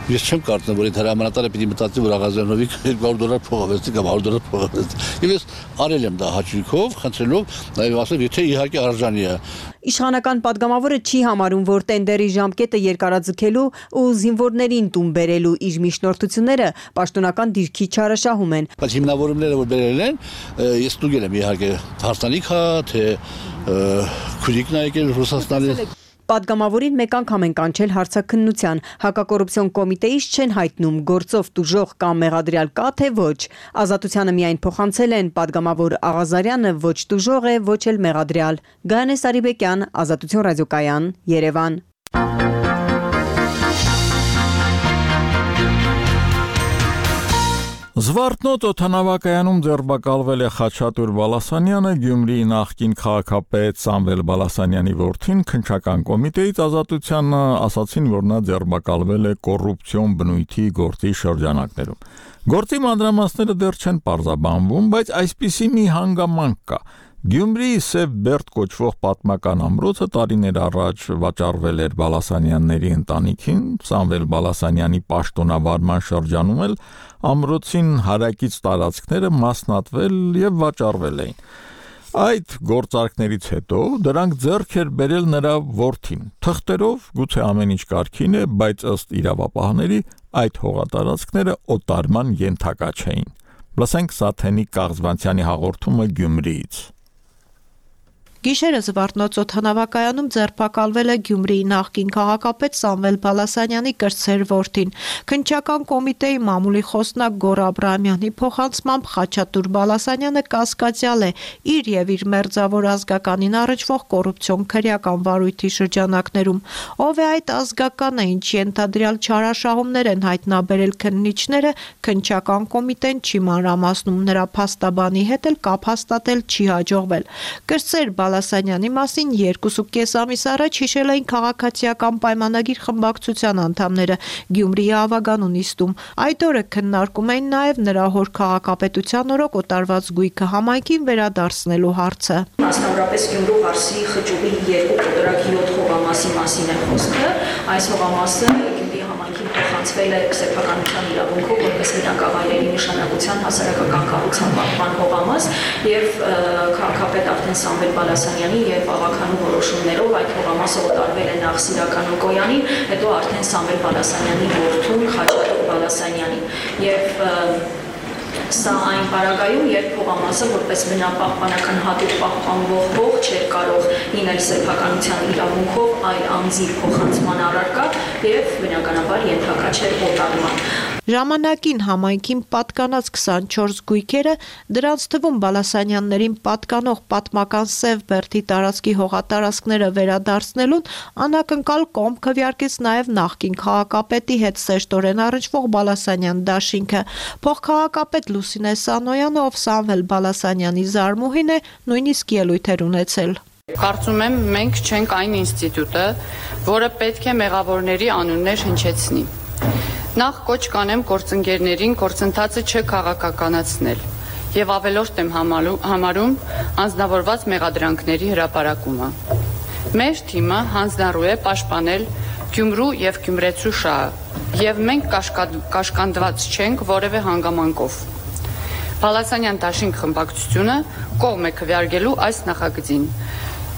Ես չեմ կարծում, որ այդ հրամանատարը պիտի մտածի, որ Աղազյանովի $200 փողավեցի կամ $100 փողավեցի։ Եվ ես արել եմ դա հաճույքով, խնդրելով, նաև ասել, եթե իհարկե արժանի է։ Իշխանական падգամավորը չի համարում, որ տենդերի ժամկետը երկարաձգելու ու զինվորներին տուն բերելու իր միջնորդությունները պաշտոնական դիրքի չարաշահում են։ Բայց հիմնավորումները, որ բերել են, ես ստուգել եմ իհարկե հարսանիք հա, թե քուրիկն է եկել Ռուսաստանից։ Պատգամավորին մեկ անգամ են կանչել հարցաքննության, հակակոռուպցիոն կոմիտեից չեն հայտնում գործով տուժող կամ մեղադրյալ կա թե ոչ։ Ազատությանը միայն փոխանցել են պատգամավոր Աղազարյանը ոչ տուժող է, ոչ էլ մեղադրյալ։ Գայանե Սարիբեկյան, Ազատություն ռադիոկայան, Երևան։ Զվարթնոց օդանավակայանում ձերբակալվել է Խաչատուր Բալասանյանը, Գյումրիի նախկին քաղաքապետ Սամվել Բալասանյանի որդին քննչական կոմիտեից Ազատությանը ասացին, որ նա ձերբակալվել է կոռուպցիոն բնույթի գործի շրջանակներում։ Գործի մանրամասները դեռ չեն պարզաբանվում, բայց այսպիսի մի հանգամանք կա։ Գյումրիի Սև Բերդ կոչվող պատմական ամրոցը տարիներ առաջ վաճառվել էր Բալասանյանների ընտանիքին, Սամվել Բալասանյանի պաշտոնավարման շրջանում էլ ամրոցին հարակից տարածքները մասնատվել եւ վաճառվել էին։ Այդ գործարքներից հետո դրանք ձեռք էր բերել նրա որդին։ Թղթերով գուցե ամեն ինչ կարգին է, բայց ըստ իրավապահների այդ հողատարածքները օտարման ենթակա չէին։ Լսենք Սաթենիկ Կաղզվանցյանի հաղորդումը Գյումրիից։ Գիշերը Զվարթնոց օդանավակայանում ձերբակալվել է Գյումրիի նախկին քաղաքապետ Սամվել Բալասանյանի կրտսեր որդին։ Քննչական կոմիտեի մամուլի խոսնակ Գոռ Աբրահամյանի փոխանցմամբ Խաչատուր Բալասանյանը կասկածյալ է իր եւ իր մերձավոր ազգականին առնչվող կոռուպցիոն քրեական վարույթի շրջանակներում։ Ով է այդ ազգականը, ինչի ենթադրյալ չարաշահումներ են հայտնաբերել քննիչները, քննչական կոմիտեն չի մանրամասնում, նրա փաստաբանի հետ էլ կապ հաստատել չի հաջողվել։ Կրտսեր Բալասանյանի մասին 2.5 ամիս առաջ հիշել էին քաղաքացիական պայմանագիր խմբակցության անդամները Գյումրիի Ավագանու նիստում։ Այդ օրը քննարկում էին նաև նրա հոր քաղաքապետության օրոք օտարված գույքը համայնքին վերադարձնելու հարցը։ Մասնավորապես Գյումրու Հարսի խճուղի 2 կոտրակ 7 հողամասի մասին է խոսքը։ Այս հողամասը Գյումրիի համայնքին փոխանցվել է սեփականության իրավունքով որպես բնակավայրերի նշանակության հասարակական կառուցման պահպան հողամաս եւ քաղաքապետ արդեն Սամվել Բալասանյանի եւ Ավագանու որոշումներով այդ հողամասը օտարվել է նախ Սիրական Օկոյանին, հետո արդեն Սամվել Բալասանյանի որդուն Խաչատուր Բալասանյանին եւ Սա այն պարագայում, երբ հողամասը որպես բնապահպանական հատուկ պահպանվող հող չէր կարող լինել սեփականության իրավունքով այլ անձի փոխանցման առարկա եւ բնականաբար ենթակա չէր օտարման։ Ժամանակին համայնքին պատկանած 24 գույքերը, դրանց թվում Բալասանյաններին պատկանող պատմական Սև Բերդի տարածքի հողատարածքները վերադարձնելուն անակնկալ կողմ քվեարկեց նաև նախկին քաղաքապետի հետ սեշտորեն առնչվող Բալասանյան դաշինքը։ Փոխքաղաքապետ Լուսինե Սանոյանը, ով Սամվել Բալասանյանի զարմուհին է, նույնիսկ ելույթեր ունեցել։ Կարծում եմ, մենք չենք այն ինստիտուտը, որը պետք է մեղավորների անուններ հնչեցնի։ Նախ կոչ կանեմ գործընկերներին գործընթացը չքաղաքականացնել եւ ավելորդ եմ համարում անձնավորված մեղադրանքների հրապարակումը։ Մեր թիմը հանձնառու է պաշտպանել Գյումրու եւ Գյումրեցու շահը եւ մենք կաշկանդված չենք որևէ հանգամանքով։ Բալասանյան դաշինք խմբակցությունը կողմ է քվեարկելու այս նախագծին։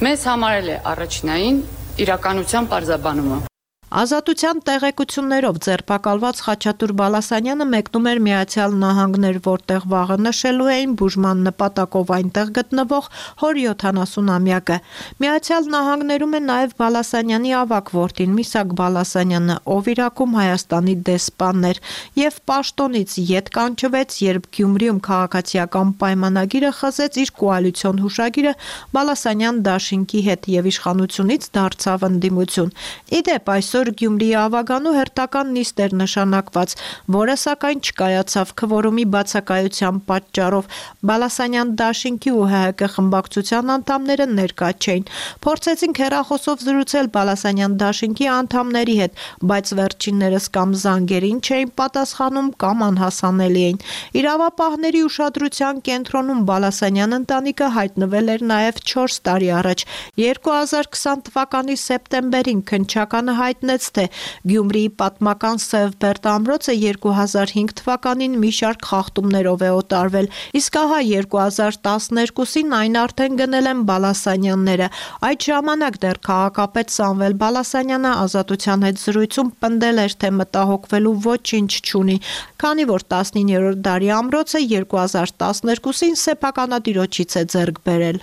Մեզ համարել է առաջնային իրականության պարզաբանումը։ Ազատության տեղեկություններով ձերբակալված Խաչատուր Բալասանյանը մեկնում էր Միացյալ Նահանգներ, որտեղ վաղը նշելու էին բուժման նպատակով այնտեղ գտնվող հոր 70-ամյակը։ Միացյալ Նահանգներում է նաև Բալասանյանի ավագ որդին Միսակ Բալասանյանը, ով Իրաքում Հայաստանի դեսպանն էր եւ պաշտոնից ետ կանչվեց, երբ Գյումրիում քաղաքացիական պայմանագիրը խզեց իր կոալիցիոն հուշագիրը Բալասանյան դաշինքի հետ եւ իշխանությունից դարձավ ընդդիմություն։ Իդեպ այսօր Գյումրիի Ավագանու հերթական նիստ էր նշանակված, որը սակայն չկայացավ քվորումի բացակայության պատճառով։ Բալասանյան դաշինքի ու ՀՀԿ խմբակցության անդամները ներկա չէին։ Փորձեցինք հեռախոսով զրուցել Բալասանյան դաշինքի անդամների հետ, բայց վերջիններս կամ զանգերին չէին պատասխանում, կամ անհասանելի էին։ Իրավապահների ուշադրության կենտրոնում Բալասանյան ընտանիքը հայտնվել էր նաև 4 տարի առաջ։ 2020 թվականի սեպտեմբերին քննչականը հայտնել հայտնեց, թե Գյումրիի պատմական Սևբերտ ամրոցը 2005 թվականին մի շարք խախտումներով է օտարվել, իսկ ահա 2012-ին այն արդեն գնել են Բալասանյանները։ Այդ ժամանակ դեռ քաղաքապետ Սամվել Բալասանյանը Ազատության հետ զրույցում պնդել էր, թե մտահոգվելու ոչինչ չունի, քանի որ 19-րդ դարի ամրոցը 2012-ին սեփականատիրոջից է ձեռք բերել։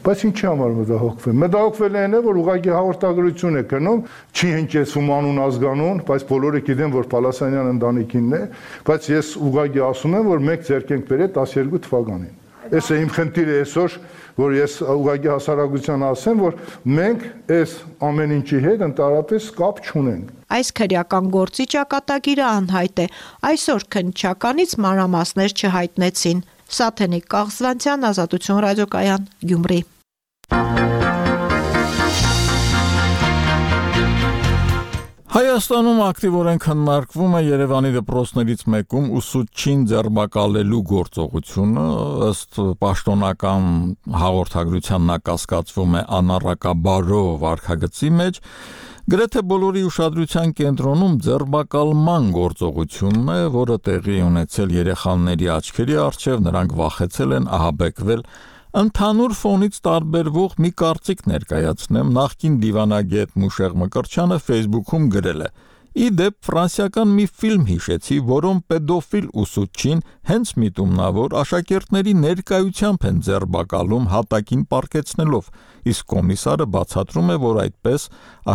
Բայց ինչի համար մտահոգվել։ Մտահոգվել են, որ ուղղակի հաղորդագրություն է կնում, չի հնչեցում անուն ազգանուն, բայց բոլորը գիտեն, որ Պալասանյան ընտանիքինն է, բայց ես ուղղակի ասում եմ, որ մեկ ձեռք ենք բերել 12 թվականին։ Այս է իմ խնդիրը այսօր, որ ես ուղղակի հասարակության ասեմ, որ մենք այս ամեն ինչի հետ ընդհանրապես կապ չունենք։ Այս քրեական գործի ճակատագիրը անհայտ է։ Այսօր քննչականից մանրամասներ չհայտնեցին։ Սաթենիկ Կաղզվանցյան, Ազատություն ռադիոկայան, Գյումրի։ Հայաստանում ակտիվորեն քննարկվում է Երևանի դպրոցներից մեկում ուսուցչին ձերբակալելու գործողությունը, ըստ պաշտոնական հաղորդագրության նա կասկածվում է անառակաբարո վարքագծի մեջ, գրեթե բոլորի ուշադրության կենտրոնում ձերբակալման գործողությունն է, որը տեղի ունեցել երեխաների աչքերի առջև, նրանք վախեցել են ահաբեկվել։ Ընդհանուր ֆոնից տարբերվող մի կարծիք ներկայացնեմ, նախկին դիվանագետ Մուշեղ Մկրտչյանը Facebook-ում գրել է. Ի դեպ ֆրանսիական մի ֆիլմ հիշեցի, որում պեդոֆիլ ուսուցչին հենց միտումնավոր աշակերտների ներկայությամբ են ձերբակալում հատակին պառկեցնելով, իսկ կոմիսարը բացատրում է, որ այդպես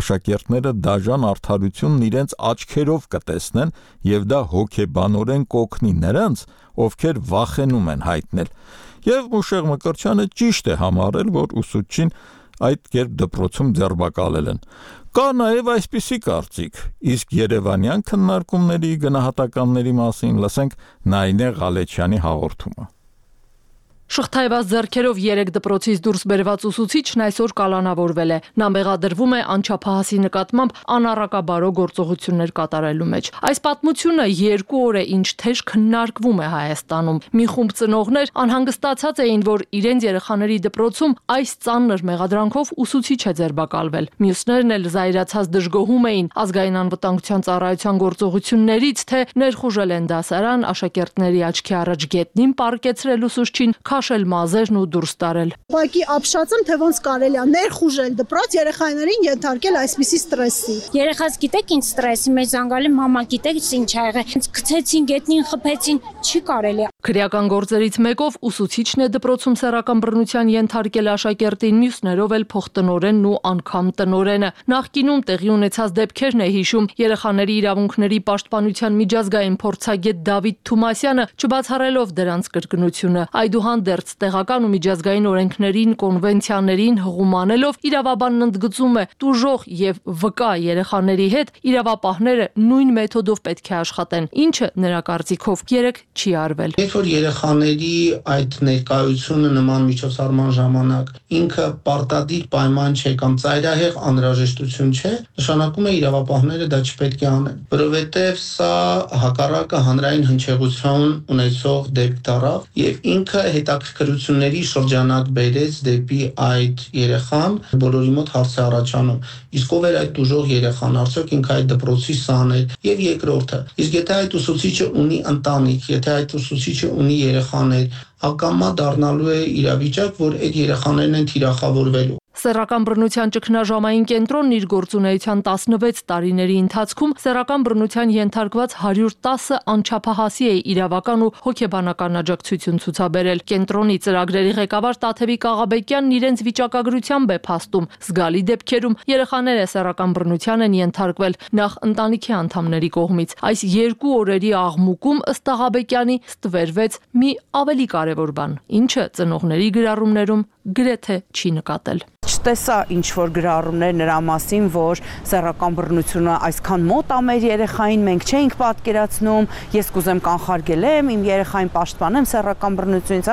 աշակերտները դաժան արդարությունն իրենց աչքերով կտեսնեն եւ դա հոգեբանորեն կօգնի նրանց, ովքեր վախենում են հայտնել։ Եվ Մուշեղ Մկրտչյանը ճիշտ է համարել, որ ուսուցչին այդ կերպ դպրոցում ձերբակալել են։ Կա նաև այսպիսի կարծիք, իսկ երևանյան քննարկումների գնահատականների մասին լսենք Նայինե Ղալեչյանի հաղորդումը։ Շղթայված ձեռքերով 3 դպրոցից դուրս բերված ուսուցիչն այսօր կալանավորվել է։ Նա մեղադրվում է անչափահասի նկատմամբ անառակաբարո գործողություններ կատարելու մեջ։ Այս պատմությունը 2 օր է ինչ թեժ քննարկվում է Հայաստանում։ Մի խումբ ծնողներ անհանգստացած էին, որ իրենց երեխաների դպրոցում այս ծանր մեղադրանքով ուսուցիչ է ձերբակալվել։ Մյուսներն էլ զայրացած դժգոհում էին ազգային անվտանգության ծառայության գործողություններից, թե ներխուժել են դասարան, աշակերտների աչքի առաջ գետնին պառկեցրել ուսուցչին, քաշել մազերն ու դուրս տարել։ Ուղղակի ապշածում, թե ոնց կարելի է ներխուժել դպրոց երեխաներին ենթարկել այսպիսի ստրեսի։ Երեխաս գիտեք ինչ ստրեսի մեջ զանգալի մամա գիտեք ինչ ա եղել։ Գցեցին գետնին, խփեցին, չի կարելի։ Քրեական գործերից մեկով ուսուցիչն է դպրոցում սեռական բռնության ենթարկել աշակերտին, մյուսներով էլ փոխտնօրենն ու անգամ տնօրենը։ Նախկինում տեղի ունեցած դեպքերն է հիշում երեխաների իրավունքների պաշտպանության միջազգային փորձագետ Դավիթ Թումասյանը, չբացառելով դրանց կրկնությունը։ Այդուհանդերձ տեղական ու միջազգային օրենքներին, կոնվենցիաներին հղում անելով իրավաբանն ընդգծում է տուժող եւ վկա երեխաների հետ իրավապահները նույն մեթոդով պետք է աշխատեն, ինչը նրա կարծիքով երեք չի արվել։ Որ երեխաների այդ ներկայությունը նման միջոցառման ժամանակ ինքը պարտադիր պայման չէ կամ ծայրահեղ անհրաժեշտություն չէ, նշանակում է իրավապահները դա չպետք է անեն, որովհետև սա հակառակը հանրային հնչեղություն ունեցող դեպք դառավ եւ ինքը հետաքրքրությունների շրջանակ բերեց դեպի այդ երեխան, բոլորի մոտ հարց է առաջանում, իսկ ով էր այդ դժող երեխան, արդյոք ինքը այդ դպրոցի սան էր, եւ երկրորդը, իսկ եթե այդ ուսուցիչը ունի ընտանիք, եթե այդ ուսուցիչը ունի երեխաներ, ակամա դառնալու է իրավիճակ, որ այդ երեխաներն են թիրախավորվելու։ Սեռական բռնության ճգնաժամային կենտրոնն իր գործունեության 16 տարիների ընթացքում սեռական բռնության ենթարկված 110 անչափահասի է իրավական ու հոգեբանական աջակցություն ցուցաբերել։ Կենտրոնի ծրագրերի ղեկավար Տաթևիկ Աղաբեկյանն իրենց վիճակագրությամբ է փաստում, զգալի դեպքերում երեխաները սեռական բռնության են ենթարկվել նախ ընտանիքի անդամների կողմից։ Այս 2 օրերի աղմուկում ըստ Աղաբեկյանի ստվերվեց մի ավելի կարևոր բան, ինչը ծնողների գրառումներում գրեթե չի նկատել։ Չտեսա ինչ որ գրառումներ նրա մասին, որ սեռական բռնությունը այսքան մոտ է մեր երեխային, մենք չենք պատկերացնում, ես կուզեմ կանխարգելեմ, իմ երեխային պաշտպանեմ սեռական բռնությունից,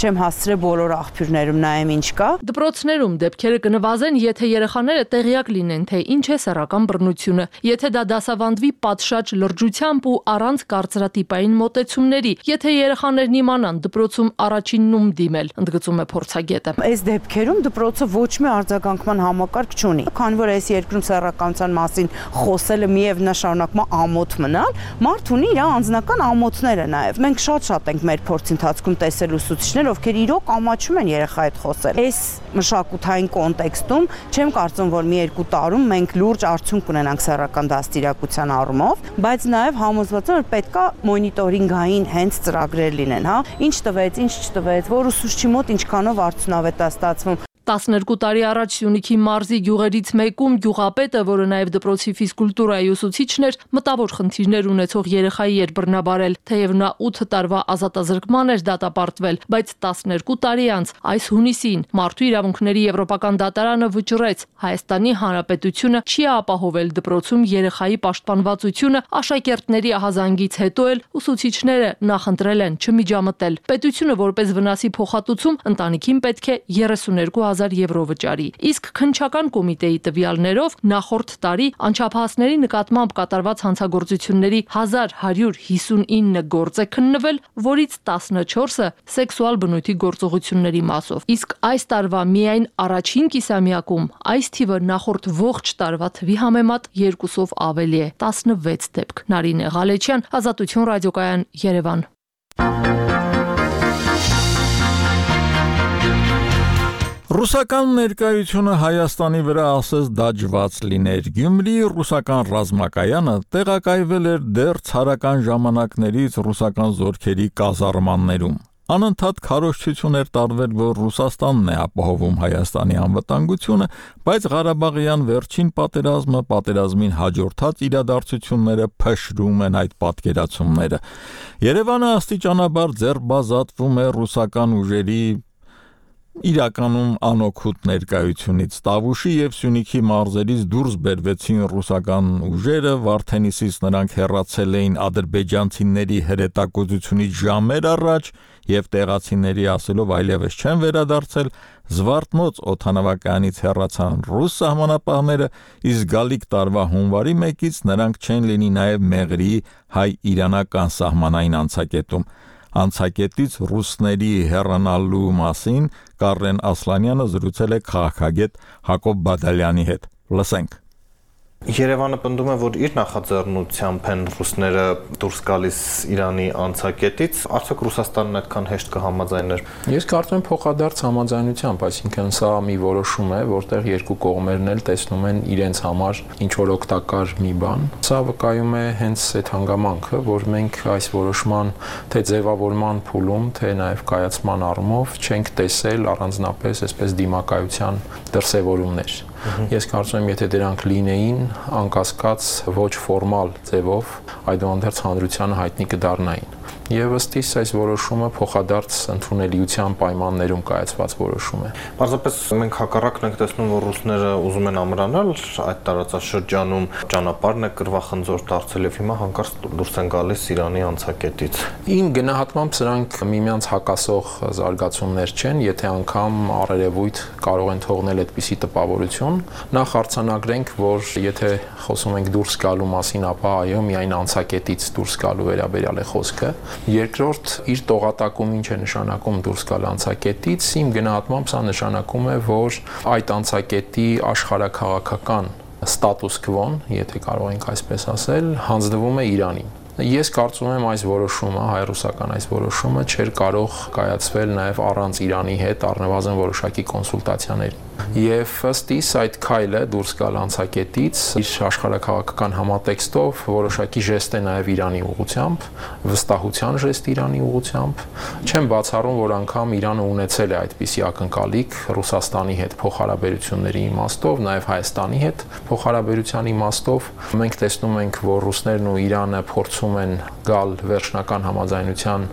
չեմ հասցրել բոլոր աղբյուրներում նայեմ ինչ կա։ Դպրոցներում դեպքերը կնվազեն, եթե երեխաները տեղյակ լինեն, թե ինչ է սեռական բռնությունը, եթե դա դասավանդվի պատշաճ լրջությամբ ու առանց կարծրատիպային մոտեցումների, եթե երեխաներն իմանան դպրոցում առաջիննում դիմել, ընդգծում է փորձագետը։ Այս դեպքերում դպրոցը ոչ մի արձագանքման համակարգ չունի։ Քանի որ այս երկրում սեռականության մասին խոսելը միև նշանակում է ամոթ մնալ, մարդ ունի իր անձնական ամոթները նաև։ Մենք շատ ենք մեր փորձի ընթացքում տեսել ուսուցիչներ, ովքեր իրոք ամաչում են երեխայի հետ խոսել։ Այս մշակութային կոնտեքստում չեմ կարծում, որ մի երկու տարում մենք լուրջ արդյունք կունենանք սեռական դաստիարակության առումով, բայց նաև համոզված եմ, որ պետքա մոնիտորինգային հենց ծրագրեր լինեն, հա, ինչ տվեց, ինչ չտվեց, որ ուսուցչի մոտ ինչքանով արդյունավետ է ստացվում։ 12 տարի առաջ Սյունիքի մարզի գյուղերից մեկում գյուղապետը, որը նաև դպրոցի ֆիզկուլտուրայի ուսուցիչն էր, մտավոր խնդիրներ ունեցող երեխայի էր բռնաբարել, թեև նա 8 տարվա ազատազրկման էր դատապարտվել, բայց 12 տարի անց այս հունիսին Մարդու իրավունքների եվրոպական դատարանը վճռեց Հայաստանի Հանրապետությունը չի ապահովել դպրոցում երեխայի պաշտպանվածությունը, աշակերտների ահազանգից հետո էլ ուսուցիչները նախընտրել են չմիջամտել։ Պետությունը որպես վնասի փոխհատուցում ընտանիքին պետք է 32,000 եվրո վճարի, իսկ քննչական կոմիտեի տվյալներով նախորդ տարի անչափահասների նկատմամբ կատարված հանցագործությունների 1159 գործ է քննվել, որից 14-ը սեքսուալ բնույթի գործողությունների մասով, իսկ այս տարվա միայն առաջին կիսամյակում այս թիվը նախորդ ողջ տարվա թվի համեմատ 2-ով ավելի է, 16 դեպք։ Նարինե Ղալեչյան, Ազատություն ռադիոկայան, Երևան։ Ռուսական ներկայությունը Հայաստանի վրա ասես դաջված լիներ։ Գյումրիի ռուսական ռազմակայանը տեղակայվել էր դեռ ցարական ժամանակներից ռուսական զորքերի կազարմաններում։ Անընդհատ քարոզչություն էր տարվել, որ Ռուսաստանն է ապահովում Հայաստանի անվտանգությունը, բայց Ղարաբաղյան վերջին պատերազմը, պատերազմին հաջորդած իրադարձությունները փշրում են այդ պատկերացումները։ Երևանը աստիճանաբար ձեռբազատվում է ռուսական ուժերի իրականում անօգուտ ներկայությունից։ Տավուշի եւ Սյունիքի մարզերից դուրս բերվեցին ռուսական ուժերը, Վարդենիսից նրանք հեռացել էին ադրբեջանցիների հրետակոծությունից ժամեր առաջ եւ տեղացիների ասելով այլևս չեն վերադարձել, Զվարթնոց օդանավակայանից հեռացան ռուս սահմանապահները, իսկ գալիք տարվա հունվարի 1-ից նրանք չեն լինի նաեւ Մեղրիի հայ-իրանական սահմանային անցակետում։ Անցակետից ռուսների հեռանալու մասին Կարեն Ասլանյանը զրուցել է քաղաքագետ Հակոբ Բադալյանի հետ։ Լսենք։ Երևանը պնդում է, որ իր նախաձեռնությամբ են ռուսները դուրս գալիս Իրանի անցակետից, արդյոք Ռուսաստանն այդքան հեշտ կհամաձայներ։ Ես կարծում եմ փոխադարձ համաձայնությամբ, այսինքն սա մի որոշում է, որտեղ երկու կողմերն էլ տեսնում են իրենց համար ինչ որ օգտակար մի բան։ Սա վկայում է հենց այդ հանգամանքը, որ մենք այս որոշման թե ձևավորման փուլում, թե նաև կայացման առումով չենք տեսել առանձնապես այսպես դիմակայության դրսևորումներ։ Ես կարծում եմ, եթե դրանք լինեին, անկասկած ոչ ֆորմալ ձևով, այդուհանդերձ հանրությանը հայտնի կդառնային։ Եվ ըստ իս այս որոշումը փոխադարձ ընդունելիության պայմաններում կայացված որոշում է։ Պարզապես մենք հակառակն ենք տեսնում, որ ռուսները ուզում են ամրանալ այդ տարածաշրջանում, ճանապարհն է կռվախնձոր դարձել եւ հիմա հանկարծ դուրս են գալիս Իրանի անցակետից։ Իմ գնահատմամբ սրանք միմյանց հակասող զարգացումներ չեն, եթե անգամ առերևույթ կարող են թողնել այդպիսի տպավորություն։ Նախ արձանագրենք, որ եթե խոսում ենք դուրս գալու մասին, ապա այո, միայն անցակետից դուրս գալու վերաբերյալ է խոսքը։ Երկրորդ, իր տողատակում ինչ է նշանակում դուրս գալ անցակետից, իմ գնահատմամբ սա նշանակում է, որ այդ անցակետի աշխարհաքաղաքական ստատուս քվոն, եթե կարող ենք այսպես ասել, հանձնվում է Իրանին։ Ես կարծում եմ այս որոշումը, հայ-ռուսական այս որոշումը չէր կարող կայացվել նաև առանց Իրանի հետ առնվազն որոշակի կոնսուլտացիաների։ Եվ ըստ իս այդ քայլը դուրս գալ անցակետից իր աշխարհաքաղաքական համատեքստով որոշակի ժեստ է նաև Իրանի ուղղությամբ, վստահության ժեստ Իրանի ուղղությամբ։ Չեմ բացառում, որ անգամ Իրանը ունեցել է այդպիսի ակնկալիք Ռուսաստանի հետ փոխհարաբերությունների իմաստով, նաև Հայաստանի հետ փոխհարաբերության իմաստով։ Մենք տեսնում ենք, որ ռուսներն ու Իրանը փորձում են գալ վերջնական համաձայնության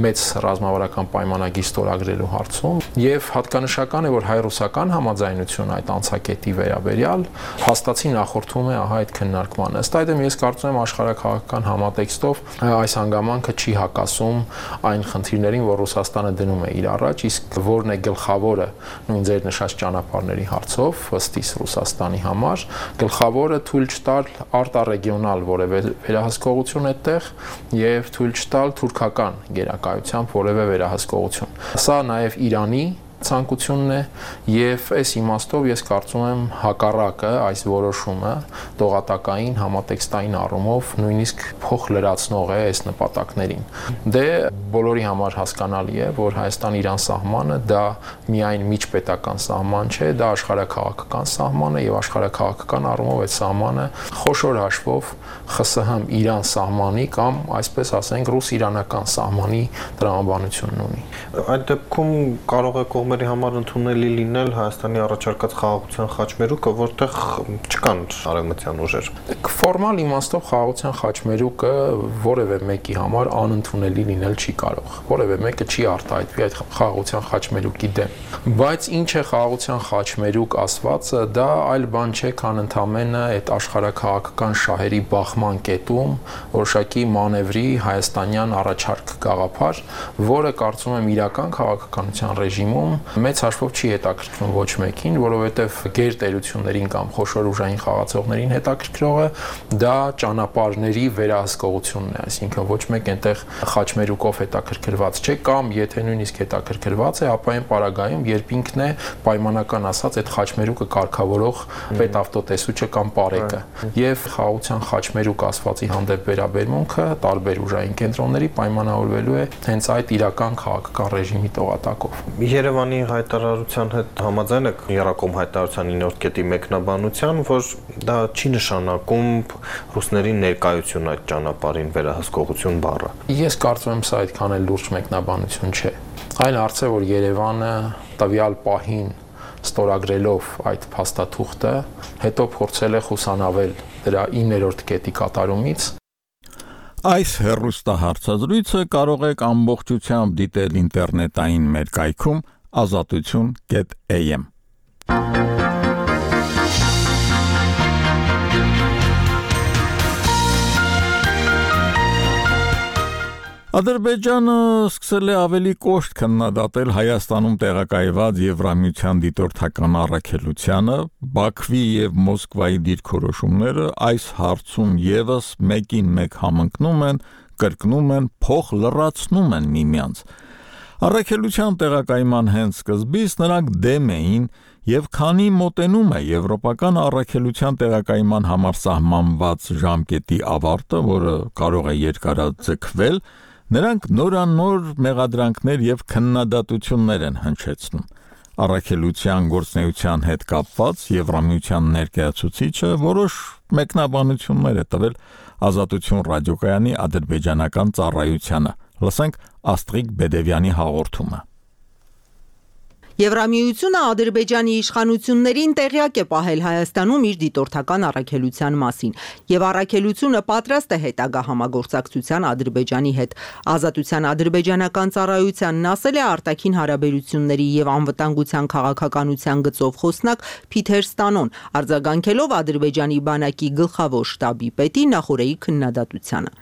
մեծ ռազմավարական պայմանագիր ստորագրելու հարցում, եւ հատկանշական է, որ հայ-ռուսական համաձայնությունը այդ անցակետի վերաբերյալ հաստատի նախորդում է ահա այդ քննարկմանը։ Ըստ այդմ ես կարծում եմ աշխարհաքաղաքական համատեքստով այս հանգամանքը չի հակասում այն խնդիրներին, որ Ռուսաստանը դնում է իր առաջ, իսկ որն է գլխավորը նույն ձեր նշած ճանապարհների հարցով ըստ իս Ռուսաստանի համար, գլխավորը թույլ չտալ արտառեգիոնալ որևէ վերահսկողություն այդտեղ եւ թույլ չտալ թուրքական գերակայությամբ որևէ վերահսկողություն։ Սա նաեւ Իրանի ցանկությունն է եւ այս իմաստով ես կարծում եմ հակառակը այս որոշումը տողատակային համատեքստային առումով նույնիսկ փոխլրացնող է այս նպատակներին։ Դե բոլորի համար հասկանալի է, որ Հայաստան-Իրան սահմանը դա միայն միջպետական սահման չէ, դա աշխարհաքաղաքական սահման է եւ աշխարհաքաղաքական առումով այդ սահմանը խոշոր հաշվով ԽՍՀՄ-Իրան սահմանի կամ այսպես ասենք ռուս-իրանական սահմանի տրամաբանությունն ունի։ Այդ դեպքում կարող է կողմերի համար ընդունելի լինել Հայաստանի առաջարկած խաղաղության խաչմերուկը, որտեղ չկան արևմտյան ուժեր։ Ֆորմալ իմաստով խաղաղության խաչմերուկը որևէ մեկի համար անընդունելի լինել չի կարող։ Որևէ մեկը չի արտահայտվի այդ խաղաղության խաչմերուկի դեմ։ Բայց ինչ է խաղաղության խաչմերուկ ասվածը, դա այլ բան չէ, քան ընդամենը այդ աշխարհաքաղաքական շահերի բախման կետում որոշակի մանևրի հայաստանյան առաջարկ գաղափար, որը կարծում եմ իրական քաղաքականության ռեժիմում մեծ հաշվով չի հետաքրքրում ոչ մեկին, որովհետև գերտերություններին կամ խոշոր ուժային խաղացողներին հետաքրքրողը դա ճանապարհների վերահսկողությունն է, այսինքն ոչ մեկ այնտեղ խաչմերուկով հետաքրքրված չէ կամ եթե նույնիսկ հետաքրքրված է, ապա այն պարագայում, երբ ինքն է պայմանական ասած այդ խաչմերուկը կարգավորող պետավտոտեսուչը կամ պարեկը։ Եվ խաղաղության խաչմերուկ ասվածի հանդեպ վերաբերմունքը տարբեր ուժային կենտրոնների պայմանավորվելու է հենց այդ իրական քաղաքական ռեժիմի տողատակով։ Երևանի հայտարարության հետ համաձայն եք Երակոմ հայտարարության 9-րդ կետի մեկնաբանության, որ դա չի նշանակում ռուսների ներկայություն այդ ճանապարհին վերահսկողություն բառը։ Ես կարծում եմ սա այդքան էլ լուրջ մեկնաբանություն չէ։ Այլ հարց է, որ Երևանը տվյալ պահին ստորագրելով այդ փաստաթուղթը, հետո փորձել է խուսանավել դրա 9-րդ կետի կատարումից։ Այս հեռուստահարցազրույցը կարող եք ամբողջությամբ դիտել ինտերնետային մեր կայքում azatutun.am Ադրբեջանը սկսել է ավելի կոշտ քննադատել Հայաստանում տեղակայված Եվրամիության դիտորդական առաքելությանը, Բաքվի եւ Մոսկվայի դիրքորոշումները այս հարցում եւս մեկին մեկ համընկնում են, կրկնում են, փոխ լրացնում են միմյանց։ Առաքելության տեղակայման հենց սկզբից նրանք դեմ էին եւ քանի մոտենում է եվրոպական առաքելության տեղակայման համար սահմանված ժամկետի ավարտը, որը կարող է երկարաձգվել, նրանք նորանոր մեղադրանքներ եւ քննադատություններ են հնչեցնում։ Առաքելության գործնեության հետ կապված Եվրամիության ներկայացուցիչը որոշ մեկնաբանություններ է տվել Ազատություն ռադիոկայանի ադրբեջանական ծառայությանը։ Լսենք Աստրիկ Բեդևյանի հաղորդումը։ Եվրամիությունը Ադրբեջանի իշխանություններին տեղյակ է պահել Հայաստանում իր դիտորդական առաքելության մասին, եւ առաքելությունը պատրաստ է հետագա համագործակցության Ադրբեջանի հետ։ Ազատության ադրբեջանական ծառայությանն ասել է արտաքին հարաբերությունների եւ անվտանգության քաղաքականության գծով խոսնակ Փիթեր Ստանոն, արձագանքելով Ադրբեջանի բանակի գլխավոր շտաբի պետի Նախորեի քննադատությանը։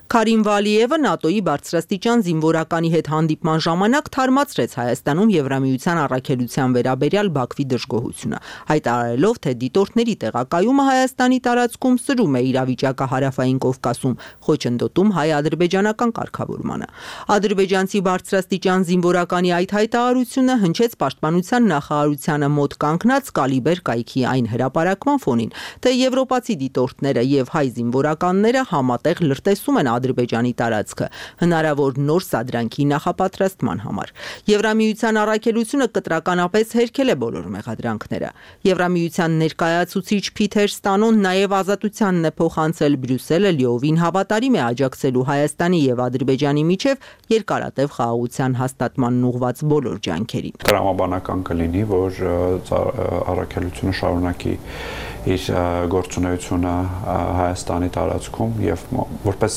Քարիմ Վալիևը ՆԱՏՕ-ի բարձրաստիճան զինվորականի հետ հանդիպման ժամանակ թարմացրեց Հայաստանում Եվրամիության առաքելության վերաբերյալ Բաքվի դժգոհությունը, հայտարարելով, թե դիտորդների տեղակայումը Հայաստանի տարածքում սրում է իրավիճակը Հարավային Կովկասում, խոչընդոտում հայ-ադրբեջանական կարգավորմանը։ Ադրբեջանցի բարձրաստիճան զինվորականի այդ հայտարարությունը հնչեց Պաշտպանության նախարարությանը մոտ կանգնած Կալիբեր կայքի այն հրապարակման ֆոնին, թե եվրոպացի դիտորդները եւ հայ զինվորականները համատեղ լրտեսում են Ադրբեջանի տարածքը հնարավոր նոր սադրանքի նախապատրաստման համար։ Եվրամիության առաքելությունը կտրականապես հերքել է բոլոր մեղադրանքները։ Եվրամիության ներկայացուցիչ Փիթեր Ստանոն նաև Ազատությանն է փոխանցել Բրյուսելը լիովին հավատարիմ է աջակցելու Հայաստանի եւ Ադրբեջանի միջև երկարատև խաղաղության հաստատմանն ուղղված բոլոր ջանքերին։ Տրամաբանական կլինի, որ առաքելությունը շարունակի իր գործունեությունը Հայաստանի տարածքում եւ որպես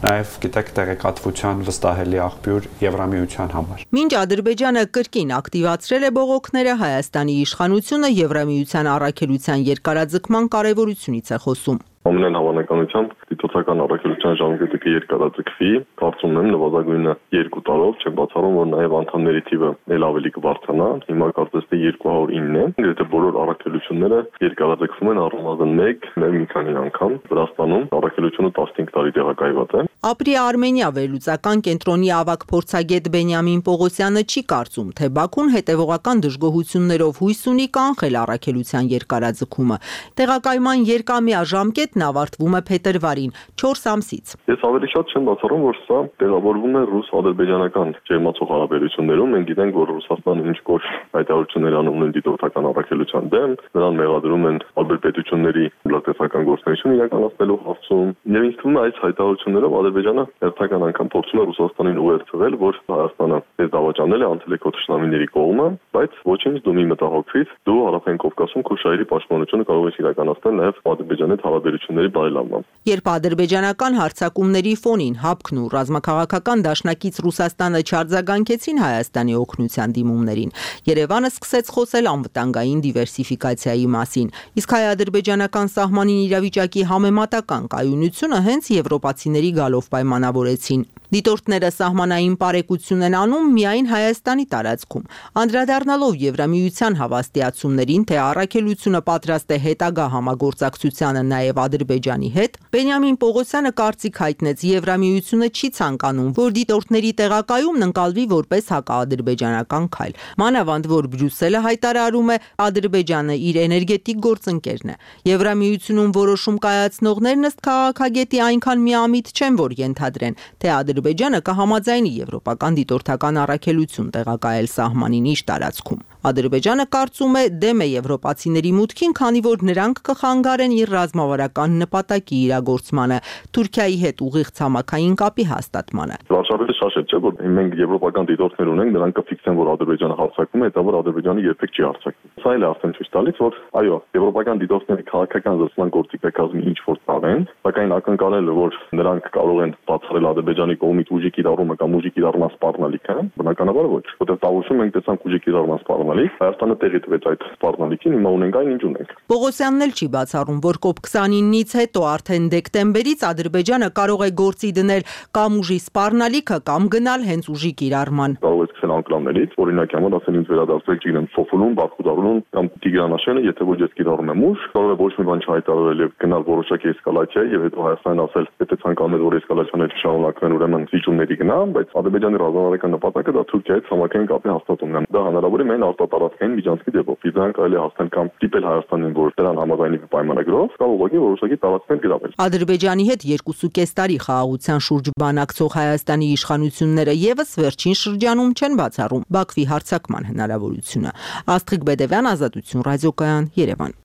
նաեւ գիտեք տեղեկատվության վստահելի աղբյուր Եվրամիության համար։ Մինչ Ադրբեջանը կրկին ակտիվացրել է բողոքները, Հայաստանի իշխանությունը Եվրամիության առաքելության երկարաձգման կարևորությունից է խոսում։ Ամենայն Հավանականությամբ դիտորդական առաքելության ժամկետը երկարաձգվի, կարծում եմ նվազագույնը 2 տարով, չեմ բացառում, որ նաև անդամների թիվը ել ավելի կբարձրանա, հիմա կարծես թե 209 է, գրեթե բոլոր առաքելությունները երկարաձգվում են առնվազն 1, մի քանի անգամ, Վրաստանում առաքելությունը 15 տարի տեղակայված է։ Ապրի Արմենիա վերլուծական կենտրոնի ավագ փորձագետ Բենյամին Պողոսյանը չի կարծում, թե Բաքուն հետևողական դժգոհություններով հույս ունի կանխել առաքելության երկարաձգումը։ Տեղակայման երկամյա ժամկետն ավարտվում է փետրվարին 4 ամսից։ Ես ավելի շատ չեմ բացառում, որ սա տեղավորվում է ռուս-ադրբեջանական ջերմացող հարաբերություններում։ Մենք գիտենք, որ Ռուսաստանը ինչ կոշտ հայտարարություններ անում են դիտորդական առաքելության դեմ, նրան մեղադրում են ալբերտ պետությունների լրատվական գործունեություն իրականացնելու հարցում։ Եվ ինձ թվում է այս հայտարարություններով Ադրբեջանը հերթական անգամ փորձում է Ռուսաստանին ուղերձվել, որ Հայաստանը դες դավաճանել է անցել է քո թշնամիների կողմը, բայց ոչինչ դու մի մտահոգվիր, դու Հարավային Կովկասում քո շահերի պաշտպանությունը կարող ես իրականացնել նաև Ադրբեջանի հետ հարաբերությունների բարելավմամբ։ Երբ ադրբեջանական հարձակումների ֆոնին ՀԱՊԿ-ն ու ռազմաքաղաքական դաշնակից Ռուսաստանը չարձագանքեցին Հայաստանի օգնության դիմումներին, Երևանը սկսեց խոսել անվտանգային դիվերսիֆիկացիայի մասին, իսկ հայ-ադրբեջանական սահմանին իրավիճակի համեմատական կայունությունը հենց եվրոպացիների գալով պայմանավորեցին։ Դիտորդները սահմանային պարեկություն են անում միայն Հայաստանի տարածքում։ Անդրադառնալով Եվրամիության հավաստիացումներին, թե առաքելությունը պատրաստ է հետագա համագործակցությանը նաև Ադրբեջանի հետ, Բենյամին Պողոսյանը կարծիք հայտնեց, Եվրամիությունը չի ցանկանում, որ դիտորդների տեղակայումն ընկալվի որպես հակաադրբեջանական քայլ։ Մանավանդ որ Բրյուսելը հայտարարում է, Ադրբեջանը իր էներգետիկ գործընկերն է։ Եվրամիությունում որոշում կայացնողներն ըստ քաղաքագետի այնքան միամիտ չեն, որ ենթադրեն, թե Ադրբեջանը կհամաձայնի եվրոպական դիտորդական առաքելություն տեղակայել սահմանին իր տարածքում։ Ադրբեջանը կարծում է դեմ է եվրոպացիների մուտքին, քանի որ նրանք կխանգարեն իր ռազմավարական նպատակի իրագործմանը, Թուրքիայի հետ ուղիղ ցամաքային կապի հաստատմանը։ Վարշավելը շաշետ չէ, որ մենք եվրոպական դիտորդներ ունենք, նրանք կֆիքսեն, որ Ադրբեջանը հարձակվում է, հետո որ Ադրբեջանը երբեք չի հարձակվում։ Սա էլ է արդեն ցույց տալիս, որ այո, եվրոպական դիտորդների քաղաքական զսպման գործիքակազմի ինչ որ տաղեն, սակայն ակնկալելը, որ նրանք կարող են բացառել Ադրբեջանի կողմից ուժի կիրառումը կամ ուժի կիրառման սպառնալիքը, բնականաբար ոչ, որտեղ տավուշում ենք տեսանք ուժի կիրառման սպառնալիք, Հայաստանը տեղի տվեց այդ սպառնալիքին, հիմա ունենք այն, ինչ ունենք։ Պողոսյանն էլ չի բացառում, որ COP29-ից հետո արդեն դեկտեմբերից Ադրբեջանը կարող է գործի դնել կամ ուժի սպառնալիքը կամ գնալ հենց ուժի կիրառման։ Կարող է սկսել անկլավներից, օրինակ համար ասել ինձ վերադարձրեք, չգիտեմ, Սոֆուլում, Բաքուդարում կամ Տիգրանաշենը, եթե ոչ ես կիրառում եմ ուժ, կարող է ոչ մի բան չհայտարարել եւ գնալ որոշակի էսկալացիա եւ հետո Հայաստանն ասել, եթե ցանկանում եք որ էսկալացիաները շարունակվեն, ուրեմն վիճումների գնամ, բայց Ադրբեջանի ռազմավարական նպատակը դա Թուրքիայի հետ համակային կապի հաստատումն է։ Դա հնարավոր է միայն արտատարածքային միջանցքի ձևով։ Իդան կարելի է հասնել կամ դիպել Հայաստանին, որ դրան համաձայնի պայմանագրով, կամ ուղղակի որոշակի տարածքներ գրավել։ Ադրբեջանի հետ 2.5 տարի խաղաղության շուրջ բանակցող Հայաստանի իշխանությունները եւս վերջին շրջանում չեն բացառում Բաքվի հարձակման հնարավորությունը։ Աստղիկ Բեդևյան, Ազատություն ռադիոկայան, Երևան։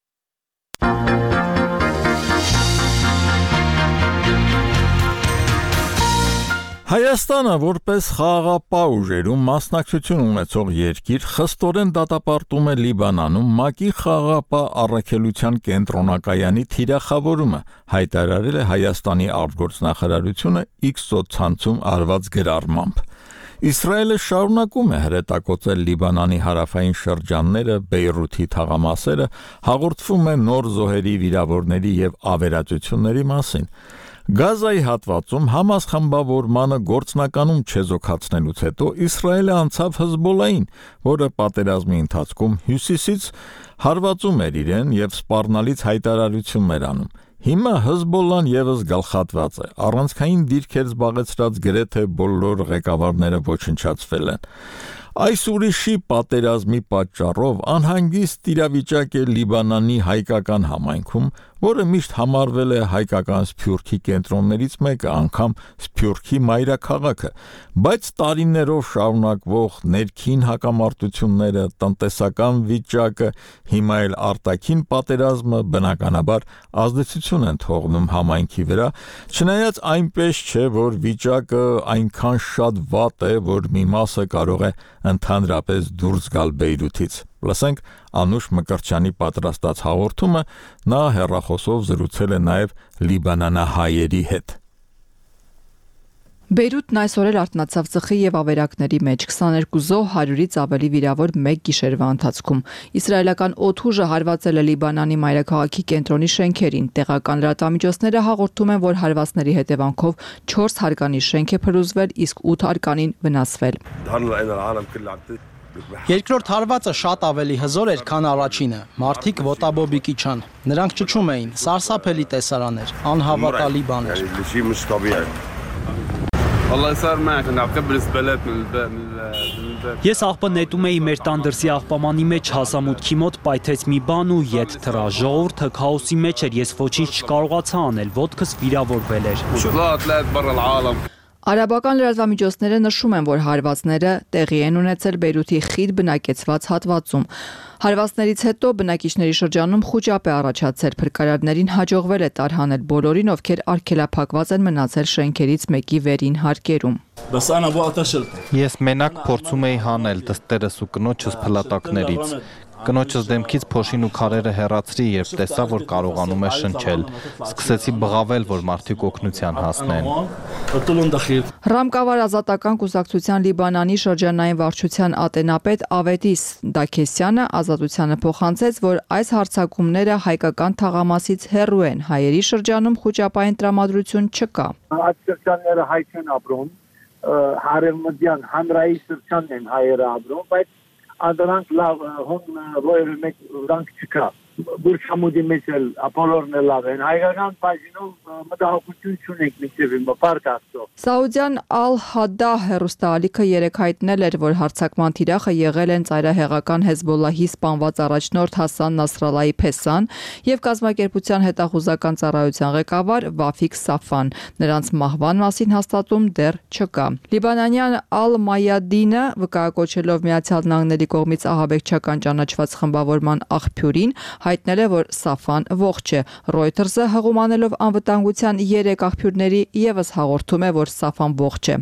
Հայաստանը որպես խաղաղապահ ուժերում մասնակցություն ունեցող երկիր խստորեն դատապարտում է Լիբանանում ՄԱԿ-ի խաղաղապահ առաքելության կենտրոնակայանի թիրախավորումը, հայտարարել է Հայաստանի արտգործնախարարությունը X սոցցանցում արված գրառմամբ։ Իսրայելը շարունակում է հրետակոծել Լիբանանի հարավային շրջանները, Բեյրութի թաղամասերը, հաղորդվում է նոր զոհերի, վիրավորների եւ ավերածությունների մասին։ Գազայի հատվածում Համաս խմբավորմանը գործնականում չեզոքացնելուց հետո Իսրայելը անցավ Հեզբոլլային, որը պատերազմի ընթացքում հյուսիսից հարվածում էր իրեն եւ սպառնալից հայտարարություններ անում։ Հիմա Հեզբոլլան եւս գլխատված է, առանցքային դիրքեր զբաղեցրած գրեթե բոլոր ղեկավարները ոչնչացվել են։ Այս ուրիշի պատերազմի պատճառով անհանգիստ իրավիճակ է Լիբանանի հայկական համայնքում, որը միշտ համարվել է հայկական սփյուռքի կենտրոններից մեկը, անգամ Սփյուռքի մայրաքաղաքը, բայց տարիներով շարունակվող ներքին հակամարտությունները, տնտեսական վիճակը, հիմա էլ արտաքին պատերազմը բնականաբար ազդեցություն են թողնում համայնքի վրա, չնայած այնպես չէ, որ վիճակը այնքան շատ վատ է, որ մի մասը կարող է ընդհանրապես դուրս գալ Բեյրութից։ Լսենք Անուշ Մկրտչյանի պատրաստած հաղորդումը, նա հեռախոսով զրուցել է նաև լիբանանահայերի հետ։ Բեյրութն այսօր էլ արթնացավ ծխի եւ ավերակների մեջ 22 զոհ 100-ից ավելի վիրավոր մեկ գիշերվա ընթացքում։ Իսրայելական օդուժը հարվածել է Լիբանանի մայրաքաղաքի կենտրոնի շենքերին։ Տեղական լրատվամիջոցները հաղորդում են, որ հարվածների հետևանքով 4 հարկանի շենք է փլուզվել, իսկ 8 հարկանին վնասվել։ Երկրորդ հարվածը շատ ավելի հզոր էր, քան առաջինը։ Մարդիկ ոտաբոբիկի չան։ Նրանք ճչում էին, սարսափելի տեսարան էր, անհավատալի բան էր։ Ես աղբը նետում էի մեր տան դրսի աղբամանի մեջ հասամուտքի մոտ պայթեց մի բան ու ետ թռա, ժողովուրդը քաոսի մեջ էր, ես ոչինչ չկարողացա անել, ոտքս վիրավորվել էր։ Արաբական լրատվամիջոցները նշում են, որ հարվածները տեղի են ունեցել Բեյրութի խիտ բնակեցված հատվածում։ Հարվածներից հետո բնակիչների շրջանում խուճապ է առաջացել, փրկարարներին հաջողվել է տարհանել բոլորին, ովքեր արգելափակված են մնացել շենքերից մեկի վերին հարկերում։ Ես մենակ փորձում էի հանել դստերս ու կնոջս փլատակներից։ Կնոջս դեմքից փոշին ու քարերը հեռացրի, երբ տեսա, որ կարողանում է շնչել։ Սկսեցի բղավել, որ մարդիկ օգնության հասնեն։ Ռամկավար ազատական կուսակցության Լիբանանի շրջանային վարչության ատենապետ Ավետիս Դաքեսյանը ազատությանը փոխանցեց, որ այս հարձակումները հայկական թաղամասից հեռու են, հայերի շրջանում խուճապային տրամադրություն չկա։ Այդ շրջանները հայ չեն ապրում, հարևմտյան հանրային շրջանն են հայերը ապրում, բայց Անդրանք լավ հոն ոյր մեկ վրանք չկա Բուրչամուդի մեջ էլ ապոլորն է լավ են հայկական բաժինով մտահոգություն չունենք մինչև հիմա պարկ աստծո Սաուդյան Ալ-Հադա հեռուստաալիքը երեկ հայտնել էր, որ հարձակման թիրախը եղել են ծայրահեղական Հեզբոլլահի սպանված առաջնորդ Հասան Նասրալլահի Փեսան եւ կազմակերպության հետախուզական ծառայության ղեկավար Վաֆիկ Սաֆան։ Նրանց մահվան մասին հաստատում դեռ չկա։ Լիբանանյան Ալ-Մայադինը վկայակոչելով Միացյալ Նահանգների կողմից ահաբեկչական ճանաչված խմբավորման աղբյուրին հայտնել է, որ Սաֆան ողջ է։ Reuters-ը հղումանելով անվտանգության 3 աղբյուրների եւս հաղորդում է, որ Սաֆան ողջ է։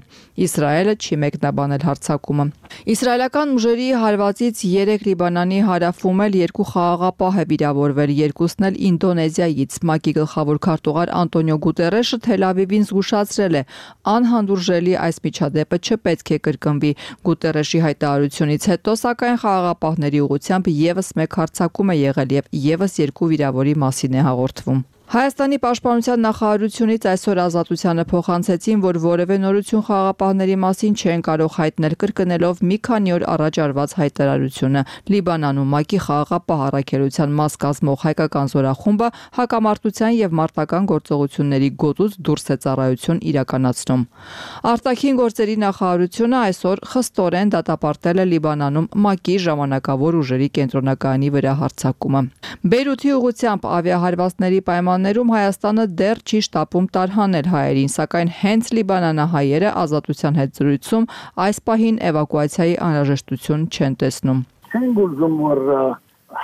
Իսրայելը չի մեկնաբանել հարձակումը։ Իսրայելական ուժերի հարվածից 3 Լիբանանի հարավում էլ 2 խաղաղապահ է վիրավորվել, երկուսն էլ Ինդոնեզիայից։ ՄԱԿ-ի գլխավոր քարտուղար Անտոնիո Գուտերեշը Թել Ավիվին զգուշացրել է, անհանդուրժելի այս միջադեպը չպետք է կրկնվի։ Գուտերեշի հայտարարությունից հետո, սակայն խաղաղապահների ուղղությամբ եւս մեկ հարձակում է եղել եւ եւս 2 վիրավորի մասին է հաղորդվում։ Հայաստանի պաշտպանության նախարարությունից այսօր ազատությանը փոխանցեցին, որ որևէ նորություն խաղաղապահների մասին չեն կարող հայտնել, կրկնելով մի քանի օր առաջ արված հայտարարությունը։ Լիբանանում ՄԱԿ-ի խաղաղապահ առաքելության մաս կազմող հայկական զորախումբը հակամարտության եւ մարտական գործողությունների գոտուց դուրս է ծառայություն իրականացնում։ Արտաքին գործերի նախարարությունը այսօր խստորեն դատապարտել է Լիբանանում ՄԱԿ-ի ժամանակավոր ուժերի կենտրոնակայանի վրա հարձակումը։ Բեյրութի ուղղությամբ ավիահարվածների պայմաններում Հայաստանը դեռ չի շտապում տարհանել հայերին, սակայն հենց լիբանանահայերը ազատության հետ զրույցում այս պահին էվակուացիայի անհրաժեշտություն չեն տեսնում։ Չենք ուզում, որ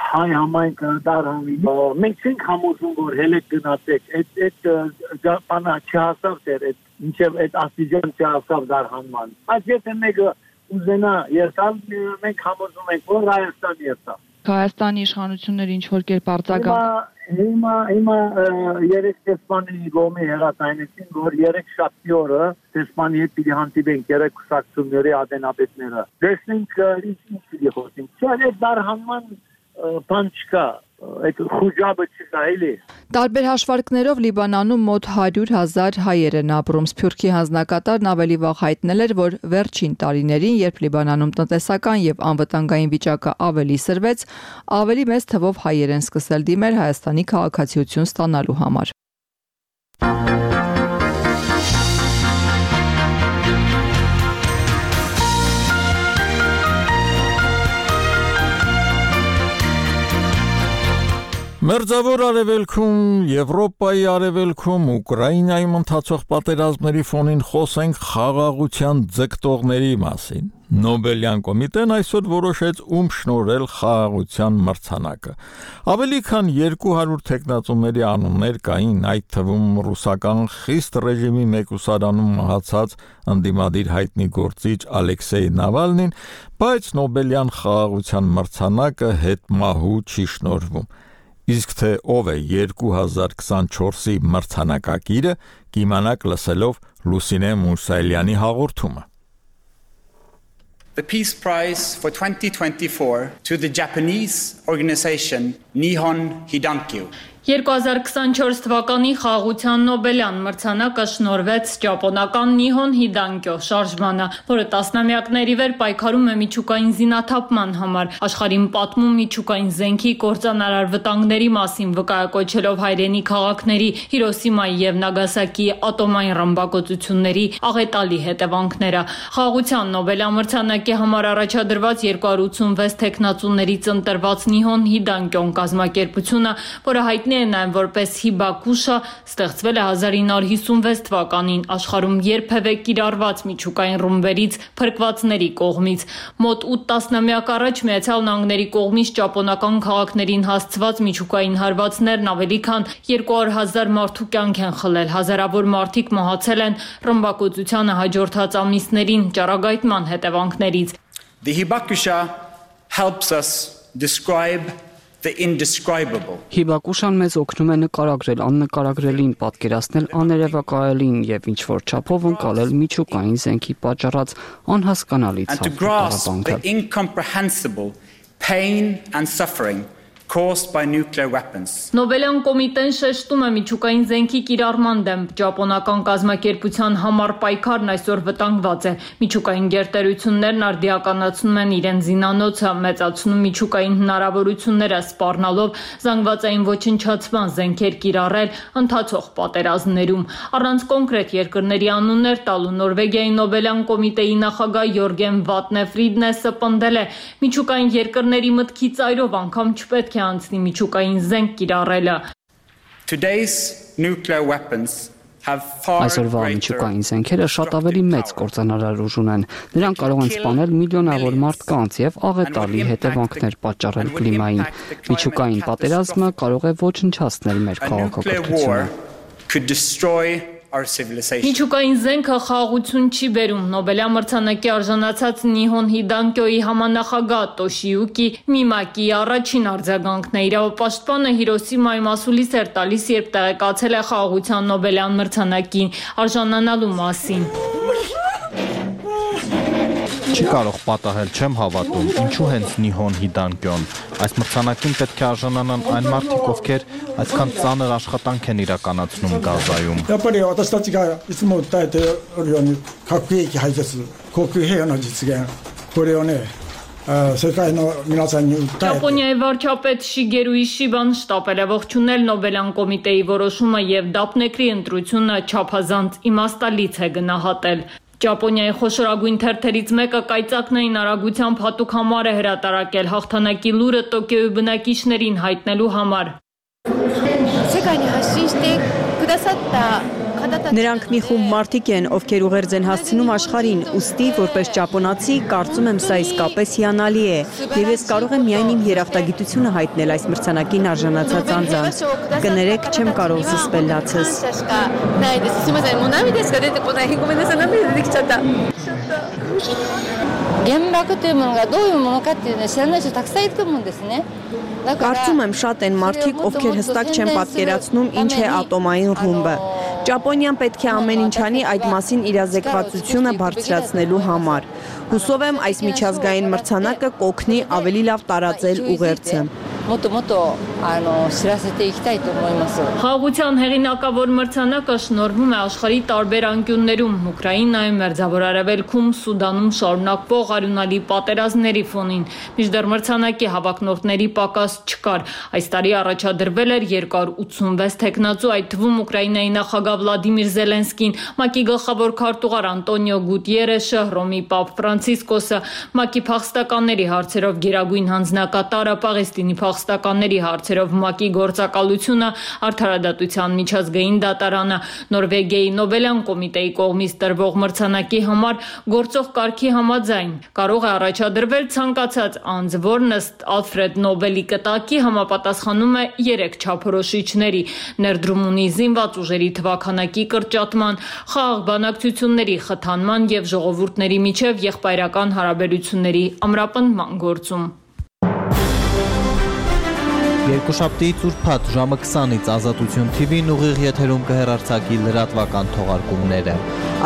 հայ համայնքը տարհանի։ Մենք չենք համոզում, որ հելեք գնացեք, այդ բանը չհասավ դեռ, մինչև այդ աստիճան չհասավ տարհանման։ Բայց եթե մեկը ուզենա երթալ, մենք համոզում ենք, որ Հայաստան երթա։ Հայաստանի իշխանությունները ինչ որ կերպ արձագանք Հիմա երեք տեսպանի գոմի հեղացայնեցին, որ 3 շաբթի օրը տեսպանի հետ պիտի հանդիպենք 3 կուսակցությունների ատենապետները։ Տեսնենք ինչ պիտի խոսենք։ Չէ, այդ դարհանման բան չկա, այդ խուճապը չկա էլի։ Տարբեր հաշվարկներով Լիբանանում մոտ 100,000 հայեր են ապրում։ Սփյուռքի հանձնակատարն ավելի վաղ հայտնել էր, որ վերջին տարիներին, երբ Լիբանանում տնտեսական եւ անվտանգային վիճակը ավելի սրվեց, ավելի մեծ թվով հայեր են սկսել դիմել Հայաստանի քաղաքացիություն ստանալու համար։ Մերձավոր արևելքում, Եվրոպայի արևելքում, Ուկրաինայում ընթացող պատերազմների ֆոնին խոսենք խաղաղության ձգտողների մասին։ Նոբելյան կոմիտեն այսօր որոշեց ում շնորհել խաղաղության մրցանակը։ Ավելի քան 200 թեկնածուների անուններ կային, այդ թվում ռուսական խիստ ռեժիմի մեկուսարանում մահացած ընդդիմադիր հայտնի գործիչ Ալեքսեյ Նավալնին, բայց Նոբելյան խաղաղության մրցանակը հետմահու չի շնորհվում։ Իսկ թե ով է 2024-ի մրցանակակիրը, կիմանաք լսելով Լուսինե Մուսայելյանի հաղորդումը։ The Peace Prize for 2024 to the Japanese organization Nihon Hidankyo. 2024 թվականի խաղաղության Նոբելյան մրցանակը շնորհվեց ճապոնական Նիհոն Հիդանկյո շարժմանը, որը տասնամյակների վեր պայքարում է միջուկային զինաթափման համար, աշխարհին պատմում միջուկային զենքի կործանարար վտանգների մասին, վկայակոչելով հայրենի քաղաքների Հիրոսիմայի եւ Նագասակիի ատոմային ռմբակոծությունների աղետալի հետևանքները։ Խաղաղության Նոբելյան մրցանակի համար առաջադրված 286 տեխնացուներից ընտրված Նիհոն Հիդանկյոն կազմակերպությունը, որը հայտնի Նայեմ որպես Հիբակուշա ստեղծվել է 1956 թվականին աշխարհում երբևէ կիրառված միջուկային ռումբերից փրկվածների կողմից։ Մոտ 8 տասնամյակ առաջ Միացյալ Նահանգների կողմից ճապոնական քաղաքներին հասցված միջուկային հարվածներն ավելի քան 200,000 մարդու կյանք են խլել։ Հազարավոր մարդիկ մահացել են ռմբակոծությանը հաջորդած ամիսներին ճառագայթման հետևանքներից։ The Hibakusha helps us describe the indescribable. Հիբակուշան մեզ օգնում է նկարագրել աննկարագրելին, պատկերացնել աներևակայելին եւ ինչ որ չափով ընկալել միջուկային զենքի պատճառած անհասկանալի the incomprehensible pain and suffering caused by nuclear weapons. Նոբելյան կոմիտեն շեշտում է միջուկային զենքի կիրառման դեմ ճապոնական կազմակերպության համար պայքարն այսօր վտանգված է։ Միջուկային գերտերություններն արդիականացնում են իրենց զինանոցը, մեծացնում միջուկային հնարավորությունները, սպառնալով զանգվածային ոչնչացման զենքեր կիրառել ընթացող պատերազմներում։ Առանց կոնկրետ երկրների անուններ տալու Նորվեգիայի Նոբելյան կոմիտեի նախագահ Յորգեն Վատնե Ֆրիդնեսը պնդել է, միջուկային երկրների մտքի ծայրով անգամ չպետք է անցնի միջուկային զենք կիրառելը։ Today's nuclear weapons have far Այսօրվա միջուկային զենքերը շատ ավելի մեծ կործանարար ուժ ունեն։ Նրանք կարող են սպանել միլիոնավոր մարդկանց եւ աղետալի հետևանքներ պատճառել կլիմային։ Միջուկային պատերազմը կարող է ոչնչացնել մեր քաղաքակրթությունը։ Միջուկային զենքը խաղաղություն չի բերում։ Նոբելյան մրցանակի արժանացած Նիհոն Հիդանկյոյի համանախագահ Տոշիյուկի Միմակի առաջին արձագանքն է։ Իրավապաշտպանը Հիրոսիմայի մասուլիս էր տալիս, երբ տեղեկացել է խաղաղության Նոբելյան մրցանակին արժանանալու մասին։ Չի կարող պատահել, չեմ հավատում, ինչու հենց Նիհոն Հիդանկյոն։ Այս մրցանակին պետք է արժանանան այն մարդիկ, ովքեր այսքան ծանր աշխատանք են իրականացնում Գազայում։ Ճապոնիայի վարչապետ Շիգերու Իշիբան շտապել է ողջունել Նոբելյան կոմիտեի որոշումը եւ դափնեկրի ընտրությունը չափազանց իմաստալից է գնահատել։ Ճապոնիայի խոշորագույն թերթերից մեկը կայծակնային արագությամբ հատուկ համար է հրատարակել հաղթանակի լուրը Տոկիոյի բնակիչներին հայտնելու համար։ Նրանք մի խումբ մարդիկ են, ովքեր ուղերձ են հասցնում աշխարհին, ուստի որպես ճապոնացի կարծում եմ սա իսկապես հիանալի է, եւ ես կարող եմ միայն իմ երախտագիտությունը հայտնել այս մրցանակին արժանացած անձանց։ Կներեք, չեմ կարող զսպել լացս։ Կարծում եմ շատ են մարդիկ, ովքեր հստակ չեն պատկերացնում ինչ է ատոմային ռումբը։ Ճապոնիան պետք է ամեն ինչ անի այդ մասին իրազեկվածությունը բարձրացնելու համար։ Հուսով եմ այս միջազգային մրցանակը կօգնի ավելի լավ տարածել ուղերձը։ Խաղաղության հեղինակավոր մրցանակը շնորհվում է աշխարհի տարբեր անկյուններում, Ուկրաինայում, Մերձավոր Արևելքում, Սուդանում շարունակվող արյունալի պատերազմների ֆոնին։ Մինչդեռ մրցանակի հավակնորդների պակաս չկար։ Այս տարի առաջադրվել էր 286 տեխնացու, այդ թվում Ուկրաինայի նախագահ Վլադիմիր Զելենսկին, ՄԱԿ-ի գլխավոր քարտուղար Անտոնիո Գուտիերեշը, Հռոմի Պապ Ֆրանցիսկոսը, ՄԱԿ-ի փախստականների հարցերով գերագույն հանձնակատարը, Պաղեստինի փախստականների հարցերով ՄԱԿ-ի գործակալությունը, Արդարադատության միջազգային դատարանը, Նորվեգիայի Նոբելյան կոմիտեի կողմից տրվող մրցանակի համար գործող կարգի համաձայն կարող է առաջադրվել ցանկացած անձ, որն ըստ Ալֆրեդ Նոբելի կտակի համապատասխանում է 3 չափորոշիչների՝ ներդրում ունի զինված ուժերի թվաքանակի կրճատման, խաղաղ բանակցությունների խթանման եւ ժողովուրդների միջև եղբայրական հարաբերությունների ամրապնդման գործում։ Երկուշաբթի ծուրփաթ ժամը 20-ից Ազատություն TV-ն ուղիղ եթերում կհեռարձակի լրատվական թողարկումները։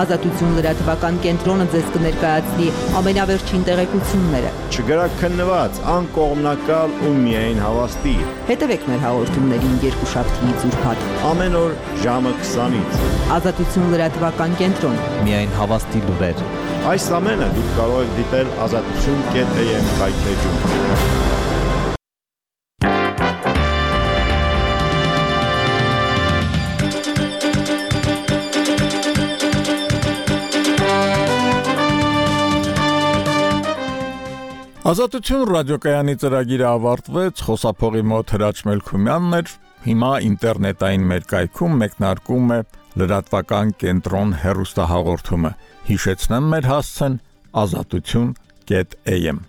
Ազատություն լրատվական կենտրոնը ձեզ կներկայացնի ամենավերջին տեղեկությունները։ Չգրաքննված, անկողմնակալ ու միայն հավաստի։ Հետևեք մեր հաղորդումներին երկուշաբթի ծուրփաթ։ Ամեն օր ժամը 20-ից։ Ազատություն լրատվական կենտրոն։ Միայն հավաստի լուրեր։ Այս ամենը դուք կարող եք դիտել azatutun.am կայքեջում։ Ազատություն ռադիոկայանի ծրագիրը ավարտվեց, խոսափողի մոտ Հրաչ Մելքումյանն էր, հիմա ինտերնետային մեր կայքում մեկնարկում է լրատվական կենտրոն հեռուստահաղորդումը, հիշեցնեմ մեր հասցեն azatutun.am